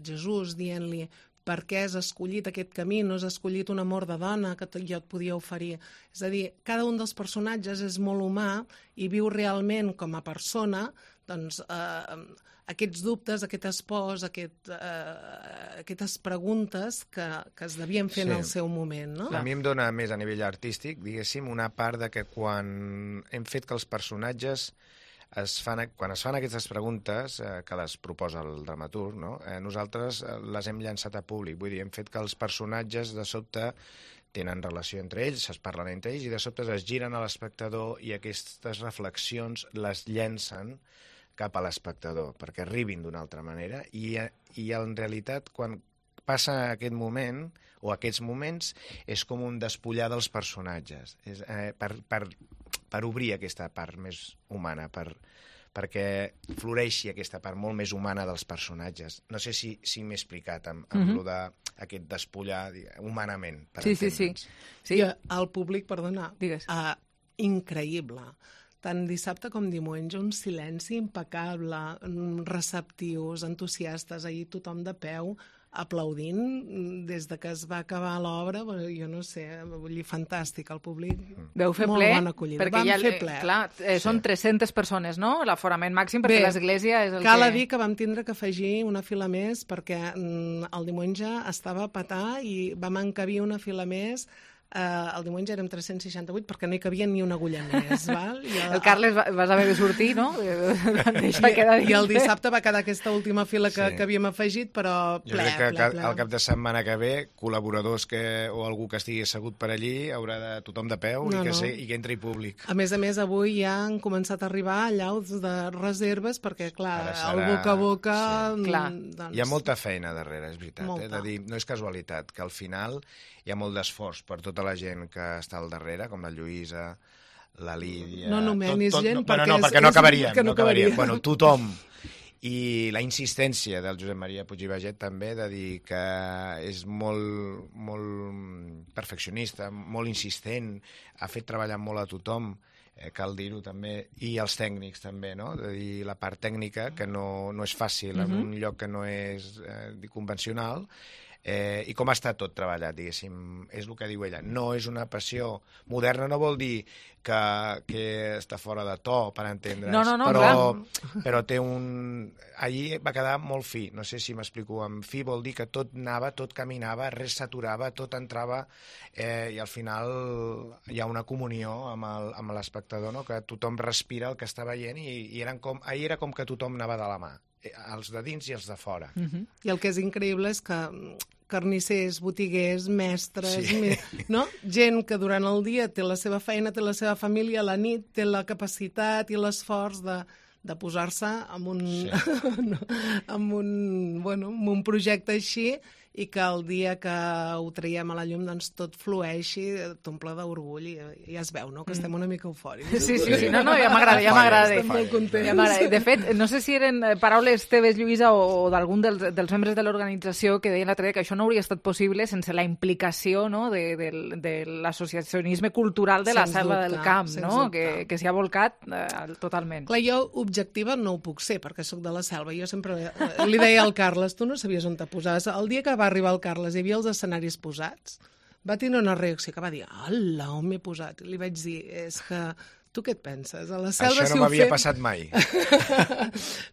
Jesús dient-li per què has escollit aquest camí, no has escollit un amor de dona que jo et podia oferir. És a dir, cada un dels personatges és molt humà i viu realment com a persona doncs, aquests dubtes, aquestes pors, aquestes preguntes que es devien fer en el seu moment. No? A mi em dona més a nivell artístic, diguéssim, una part de que quan hem fet que els personatges quan es fan aquestes preguntes que les proposa el dramaturg, no? Nosaltres les hem llançat a públic, vull dir, hem fet que els personatges de sobte tenen relació entre ells, es parlen entre ells i de sobte es giren a l'espectador i aquestes reflexions les llencen cap a l'espectador perquè arribin d'una altra manera i en realitat quan passa aquest moment o aquests moments és com un despullar dels personatges per obrir aquesta part més humana, perquè floreixi aquesta part molt més humana dels personatges. No sé si m'he explicat amb lo d'aquest despullar humanament. Sí. I el públic, perdona, increïble. Tant dissabte com diumenge, un silenci impecable, receptius, entusiastes, ahir tothom de peu, aplaudint des de que es va acabar l'obra, jo no sé, vull dir, fantàstic, el públic, veu fer molt ple, bona acollida. Perquè vam fer ple. Clar, són 300 persones, no?, l'aforament màxim, perquè l'església és el cal dir que vam tindre que afegir una fila més, perquè el diumenge estava a petar i vam encabir una fila més. El diumenge érem 368 perquè no hi cabia ni una agulla més. Val? El Carles vas haver de sortir, no? I el dissabte va quedar aquesta última fila que havíem afegit, però ple. Jo crec que al cap de setmana que ve, col·laboradors o algú que estigui assegut per allí haurà de tothom de peu i que entri públic. A més, avui ja han començat a arribar llaus de reserves perquè, clar, el boca a boca... Hi ha molta feina darrere, és veritat. De dir, no és casualitat, que al final hi ha molt d'esforç per tota la gent que està al darrere, com la Lluïsa, la Lídia... No nomenis gent perquè no acabaríem. Bueno, tothom. I la insistència del Josep Maria Puig i Baget també de dir que és molt perfeccionista, molt insistent, ha fet treballar molt a tothom, cal dir-ho també, i els tècnics també, no? De dir la part tècnica, que no és fàcil en un lloc que no és convencional, i com està tot treballat, diguéssim, és el que diu ella. No és una passió moderna, no vol dir que està fora de to, per entendre's. No, però té un... Allí va quedar molt fi, no sé si m'explico. Amb fi vol dir que tot anava, tot caminava, res s'aturava, tot entrava, i al final hi ha una comunió amb l'espectador, no? Que tothom respira el que està veient i ahir era com que tothom anava de la mà, els de dins i els de fora. I el que és increïble és que carnissers, botiguers, mestres, no? Gent que durant el dia té la seva feina, té la seva família, a la nit té la capacitat i l'esforç de posar-se en un projecte així i que el dia que ho traiem a la llum doncs tot flueixi, t'omple d'orgull i ja es veu, no?, que estem una mica eufòrics. Sí, no, ja m'agrada. Estem molt contents. De fet, no sé si eren paraules teves, Lluïsa, o d'algun dels membres de l'organització que deien l'altre dia que això no hauria estat possible sense la implicació, no?, de l'associacionisme cultural de la Selva del Camp, no?, que s'hi ha volcat totalment. Clar, jo objectiva no ho puc ser, perquè sóc de la Selva. Jo sempre li deia al Carles, tu no sabies on te posaves. El dia que va arribar el Carles hi havia els escenaris posats, va tenir una reacció que va dir, hola, on m'he posat? I li vaig dir, és que tu què et penses? A la Selva, això no m'havia passat mai.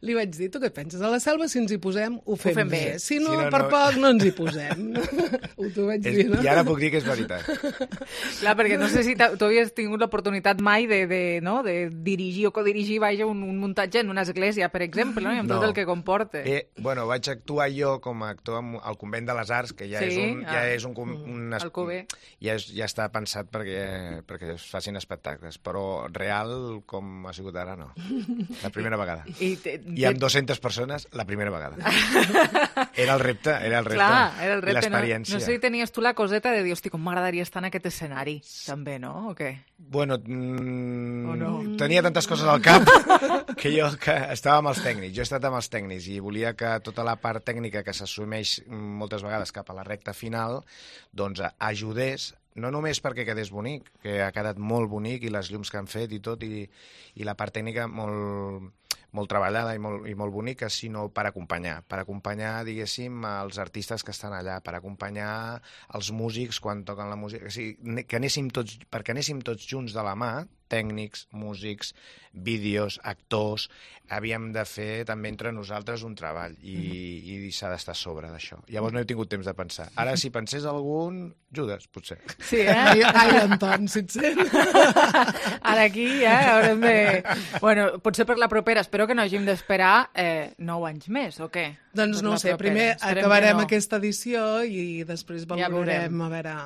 Li vaig dir, tu què et penses? A la Selva, si ens hi posem, ho fem bé. Si no, per poc, no ens hi posem. T'ho vaig dir, no? I ara puc dir que és veritat. Clar, perquè no sé si tu havies tingut l'oportunitat mai de dirigir o codirigir un muntatge en una església, per exemple, no? I amb tot el que comporta. Bueno, vaig actuar jo com a actor al Convent de les Arts, que ja és un Alcover. Ja està pensat perquè es facin espectacles, però real, com ha sigut ara, no. La primera vegada. I amb 200 persones, la primera vegada. Era el repte. Clar, era el repte. I l'experiència. No sé si tenies tu la coseta de dir, hosti, com m'agradaria estar en aquest escenari, també, no? O què? Bueno, tenia tantes coses al cap que estava amb els tècnics. Jo he estat amb els tècnics i volia que tota la part tècnica que s'assumeix moltes vegades cap a la recta final, doncs ajudés, no només perquè quedés bonic, que ha quedat molt bonic i les llums que han fet i tot, i la part tècnica molt treballada i molt bonica, sinó per acompanyar, diguéssim, els artistes que estan allà, per acompanyar els músics quan toquen la música, o sigui, perquè anéssim tots junts de la mà, tècnics, músics, vídeos, actors, havíem de fer també entre nosaltres un treball i s'ha d'estar a sobre d'això. Llavors no he tingut temps de pensar. Ara, si pensés algun, Judes, potser. Sí, Ai, Anton, si et sent. Ara aquí, haurem de... Bueno, potser per la propera, espero que no hàgim d'esperar 9 anys més, o què? Doncs no ho sé, primer acabarem aquesta edició i després valorarem, a veure...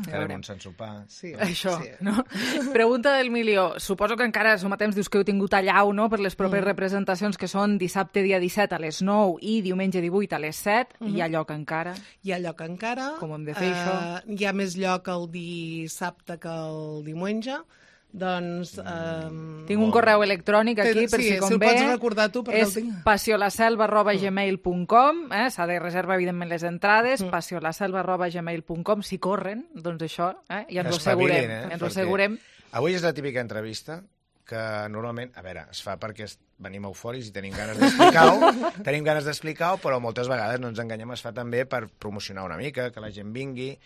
Farem un sant sopar. Sí, això, no? Pregunta del milió. Suposo que encara som a temps, dius que heu tingut allau, no?, per les properes representacions que són dissabte dia 17 a les 9 i diumenge 18 a les 7. Hi ha lloc encara? Hi ha lloc encara. Com hem de fer això? Hi ha més lloc el dissabte que el diumenge. Doncs... tinc un correu electrònic aquí, per si convé. Sí, si el pots recordar tu, perquè el tinc. És passiolaselva@gmail.com, s'ha de reservar, evidentment, les entrades, passiolaselva@gmail.com, si corren, doncs això, ja ens ho assegurem. Ens ho assegurem. Avui és la típica entrevista que normalment, a veure, es fa perquè venim eufòrics i tenim ganes d'explicar-ho, però moltes vegades, no ens enganyem, es fa també per promocionar una mica, que la gent vingui,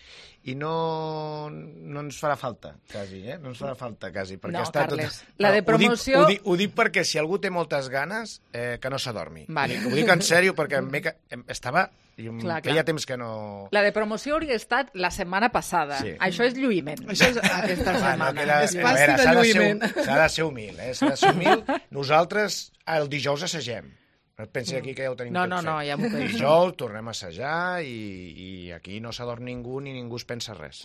i no ens farà falta, quasi, no ens farà falta, quasi. No, Carles, la de promoció... Ho dic perquè si algú té moltes ganes, que no s'adormi. Ho dic en sèrio, perquè estava... Feia temps que no... La de promoció hauria estat la setmana passada. Sí. Això és lluïment. Això és aquesta setmana. És pasti de lluïment. S'ha de ser humil, s'ha de ser humil. Nosaltres el dijous assagem. No et pensi aquí que ja ho tenim tot fet. No, ja m'ho penso. Dijous tornem a assajar i aquí no s'adorm ningú ni ningú es pensa res.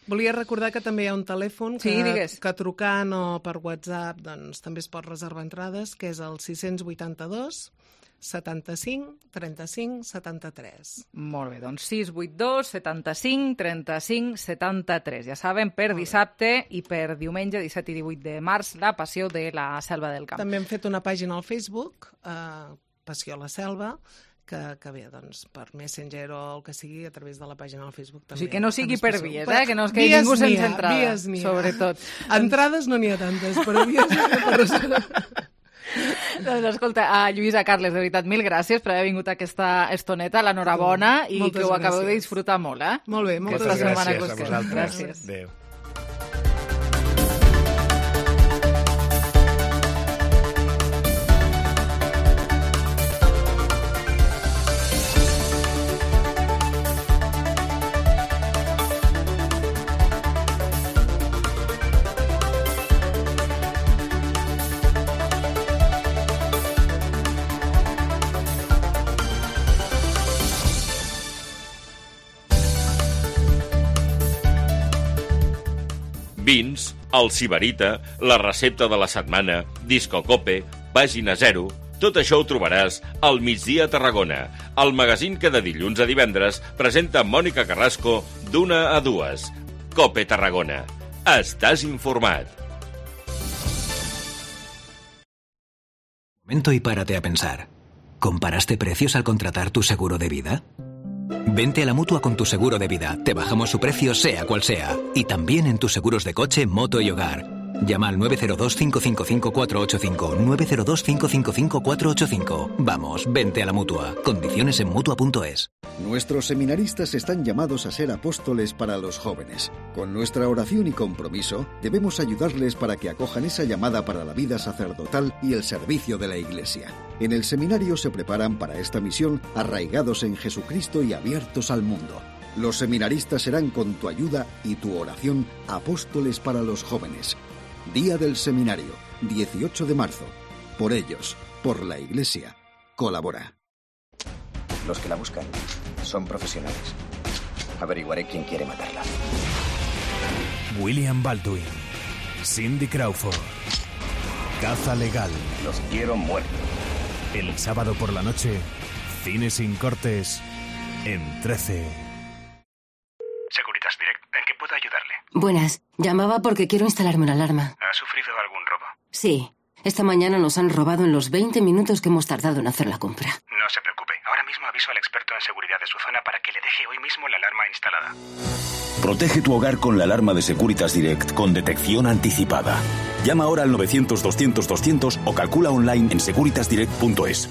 Volia recordar que també hi ha un telèfon que trucant o per WhatsApp doncs, també es pot reservar entrades, que és el 682 75 35 73. Molt bé, doncs 682 75 35 73. Ja saben, per dissabte i per diumenge 17 i 18 de març, la Passió de la Selva del Camp. També hem fet una pàgina al Facebook, Passió a la Selva, que bé, doncs, per Messenger o el que sigui, a través de la pàgina del Facebook també. O sigui, que no sigui per vies, que no es quedi ningú sense entrada, sobretot. Entrades no n'hi ha tantes, però vies per reservar. Doncs escolta, Lluïsa, Carles, de veritat, mil gràcies per haver vingut a aquesta estoneta, l'enhorabona, i que ho acabeu de disfrutar molt, Molt bé, moltes gràcies a vosaltres. Adéu. Vins, el Sibarita, la recepta de la setmana, Disco Cope, Pàgina 0, Tot això ho trobaràs al Migdia a Tarragona, el magazín que de dilluns a divendres presenta Mònica Carrasco d'1 a 2. COPE Tarragona. Estàs informat. Momento y párate a pensar. ¿Comparaste precios al contratar tu seguro de vida? Vente a la Mutua con tu seguro de vida. Te bajamos su precio sea cual sea. Y también en tus seguros de coche, moto y hogar. Llama al 902-555-485. 902-555-485. Vamos, vente a la Mutua. Condiciones en Mutua.es. Nuestros seminaristas están llamados a ser apóstoles para los jóvenes. Con nuestra oración y compromiso, debemos ayudarles para que acojan esa llamada para la vida sacerdotal y el servicio de la Iglesia. En el seminario se preparan para esta misión arraigados en Jesucristo y abiertos al mundo. Los seminaristas serán con tu ayuda y tu oración apóstoles para los jóvenes. Día del Seminario, 18 de marzo. Por ellos, por la Iglesia, colabora. Los que la buscan son profesionales. Averiguaré quién quiere matarla. William Baldwin, Cindy Crawford, Caza Legal. Los quiero muertos. El sábado por la noche, Cine sin cortes, en 13. Securitas Direct, ¿en qué puedo ayudarle? Buenas, llamaba porque quiero instalarme una alarma. ¿Ha sufrido algún robo? Sí, esta mañana nos han robado en los 20 minutos que hemos tardado en hacer la compra. No se preocupe, ahora mismo aviso al experto en seguridad de su zona para que le deje hoy mismo la alarma instalada. Protege tu hogar con la alarma de Securitas Direct con detección anticipada. Llama ahora al 900-200-200 o calcula online en securitasdirect.es.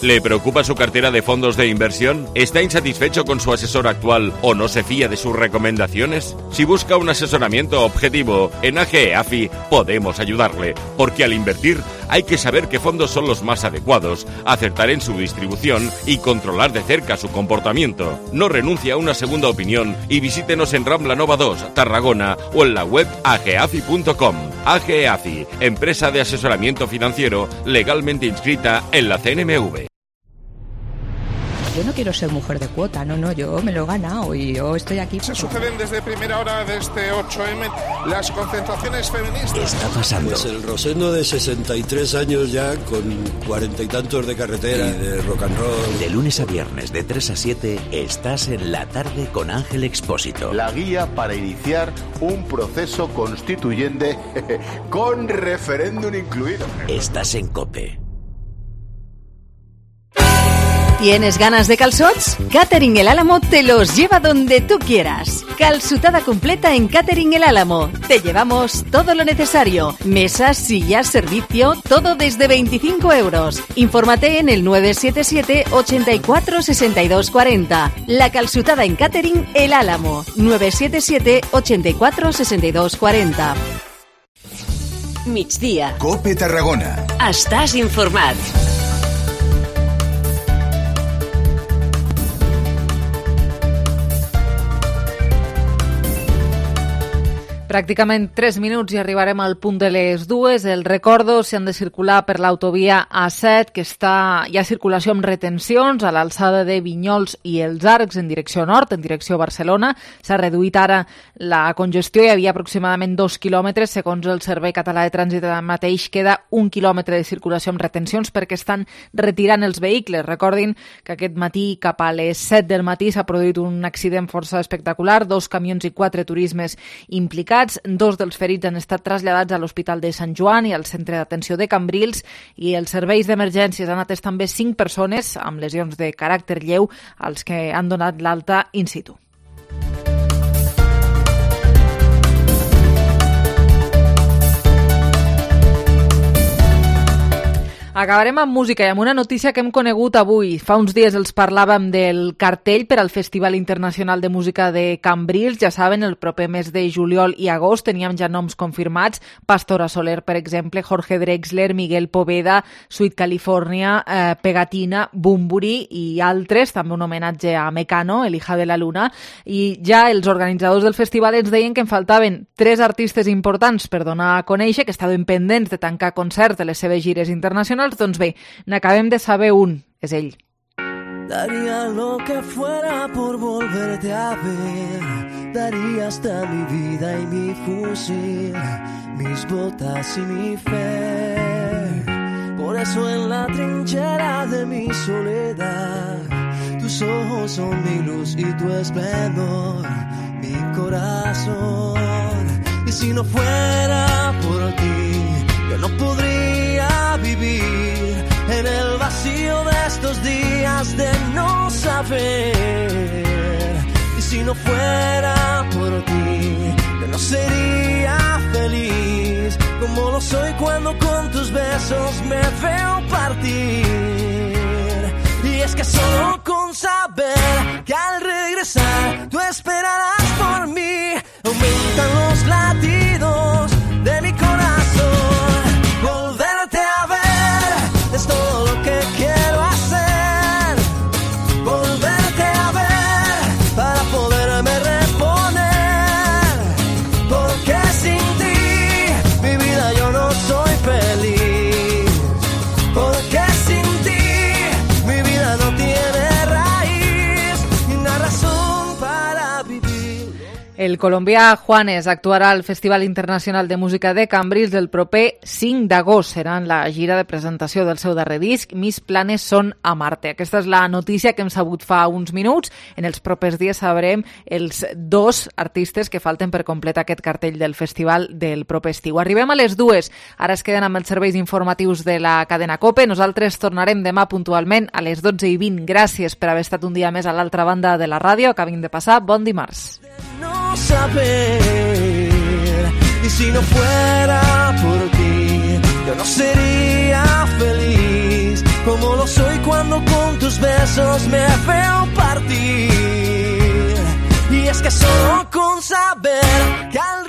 ¿Le preocupa su cartera de fondos de inversión? ¿Está insatisfecho con su asesor actual o no se fía de sus recomendaciones? Si busca un asesoramiento objetivo, en AGE AFI podemos ayudarle, porque al invertir hay que saber qué fondos son los más adecuados, acertar en su distribución y controlar de cerca su comportamiento. No renuncie a una segunda opinión y visítenos en Rambla Nova 2, Tarragona, o en la web ageafi.com. AGE AFI, empresa de asesoramiento financiero legalmente inscrita en la CNMV. Yo no quiero ser mujer de cuota, no, yo me lo he ganado y yo estoy aquí. Se suceden desde primera hora de este 8M las concentraciones feministas. ¿Qué está pasando? Pues el Rosendo de 63 años ya, con 40 y tantos de carretera y de rock and roll. De lunes a viernes de 3 a 7 estás en La Tarde con Ángel Expósito. La guía para iniciar un proceso constituyente con referéndum incluido. Estás en COPE. ¿Tienes ganas de calzots? Catering El Álamo te los lleva donde tú quieras. Calzutada completa en Catering El Álamo. Te llevamos todo lo necesario. Mesas, sillas, servicio, todo desde 25 euros. Infórmate en el 977 84 62 40. La calzutada en Catering El Álamo. 977 84 62 40. Migdia. COPE Tarragona. Estàs informat. Pràcticament 3 minuts i arribarem al punt de les 2. El recordo, si han de circular per l'autovia A7, que hi ha circulació amb retencions a l'alçada de Vinyols i els Arcs en direcció nord, en direcció Barcelona. S'ha reduït ara la congestió, hi havia aproximadament 2 quilòmetres. Segons el Servei Català de Trànsit, mateix queda 1 quilòmetre de circulació amb retencions perquè estan retirant els vehicles. Recordin que aquest matí, cap a les 7 del matí, s'ha produït un accident força espectacular, 2 camions i 4 turismes implicats. 2 dels ferits han estat traslladats a l'Hospital de Sant Joan i al Centre d'Atenció de Cambrils, i els serveis d'emergències han atès també 5 persones amb lesions de caràcter lleu, als que han donat l'alta in situ. Acabarem amb música i amb una notícia que hem conegut avui. Fa uns dies els parlàvem del cartell per al Festival Internacional de Música de Cambrils. Ja saben, el proper mes de juliol i agost teníem ja noms confirmats. Pastora Soler, per exemple, Jorge Drexler, Miguel Poveda, Sweet California, Pegatina, Bumburi i altres. També un homenatge a Mecano, el hija de la luna. I ja els organitzadors del festival ens deien que en faltaven 3 artistes importants per donar a conèixer, que estaven pendents de tancar concerts de les seves gires internacionals. Doncs bé, n'acabem de saber un, és ell. Daría lo que fuera por volverte a ver. Daría hasta mi vida y mi fusil, mis botas y mi fe, Por eso en la trinchera de mi soledad, tus ojos son mi luz y tu esplendor, mi corazón. Y si no fuera por ti, yo no podría vivir en el vacío de estos días de no saber. Y si no fuera por ti, yo no sería feliz como lo soy cuando con tus besos me veo partir. Y es que solo con saber que al regresar tú esperarás por mí, aumentan los latidos de mi corazón. Volverte a ver es todo lo que quiero hacer. Volverte a ver para poderme reponer. Porque sin ti mi vida yo no soy feliz. Porque sin ti mi vida no tiene raíz ni una razón para vivir. El colombià Juanes actuarà al Festival Internacional de Música de Cambrils el proper 5 d'agost. Serà en la gira de presentació del seu darrer disc, Mis planes són amarte. Aquesta és la notícia que hem sabut fa uns minuts. En els propers dies sabrem els 2 artistes que falten per completar aquest cartell del festival del proper estiu. Arribem a les 2. Ara es queden amb els serveis informatius de la cadena COPE. Nosaltres tornarem demà puntualment a les 12:20. Gràcies per haver estat un dia més a l'altra banda de la ràdio. Acabin de passar. Bon dimarts. No saber, y si no fuera por ti, yo no sería feliz como lo soy cuando con tus besos me veo partir. Y es que solo con saber que al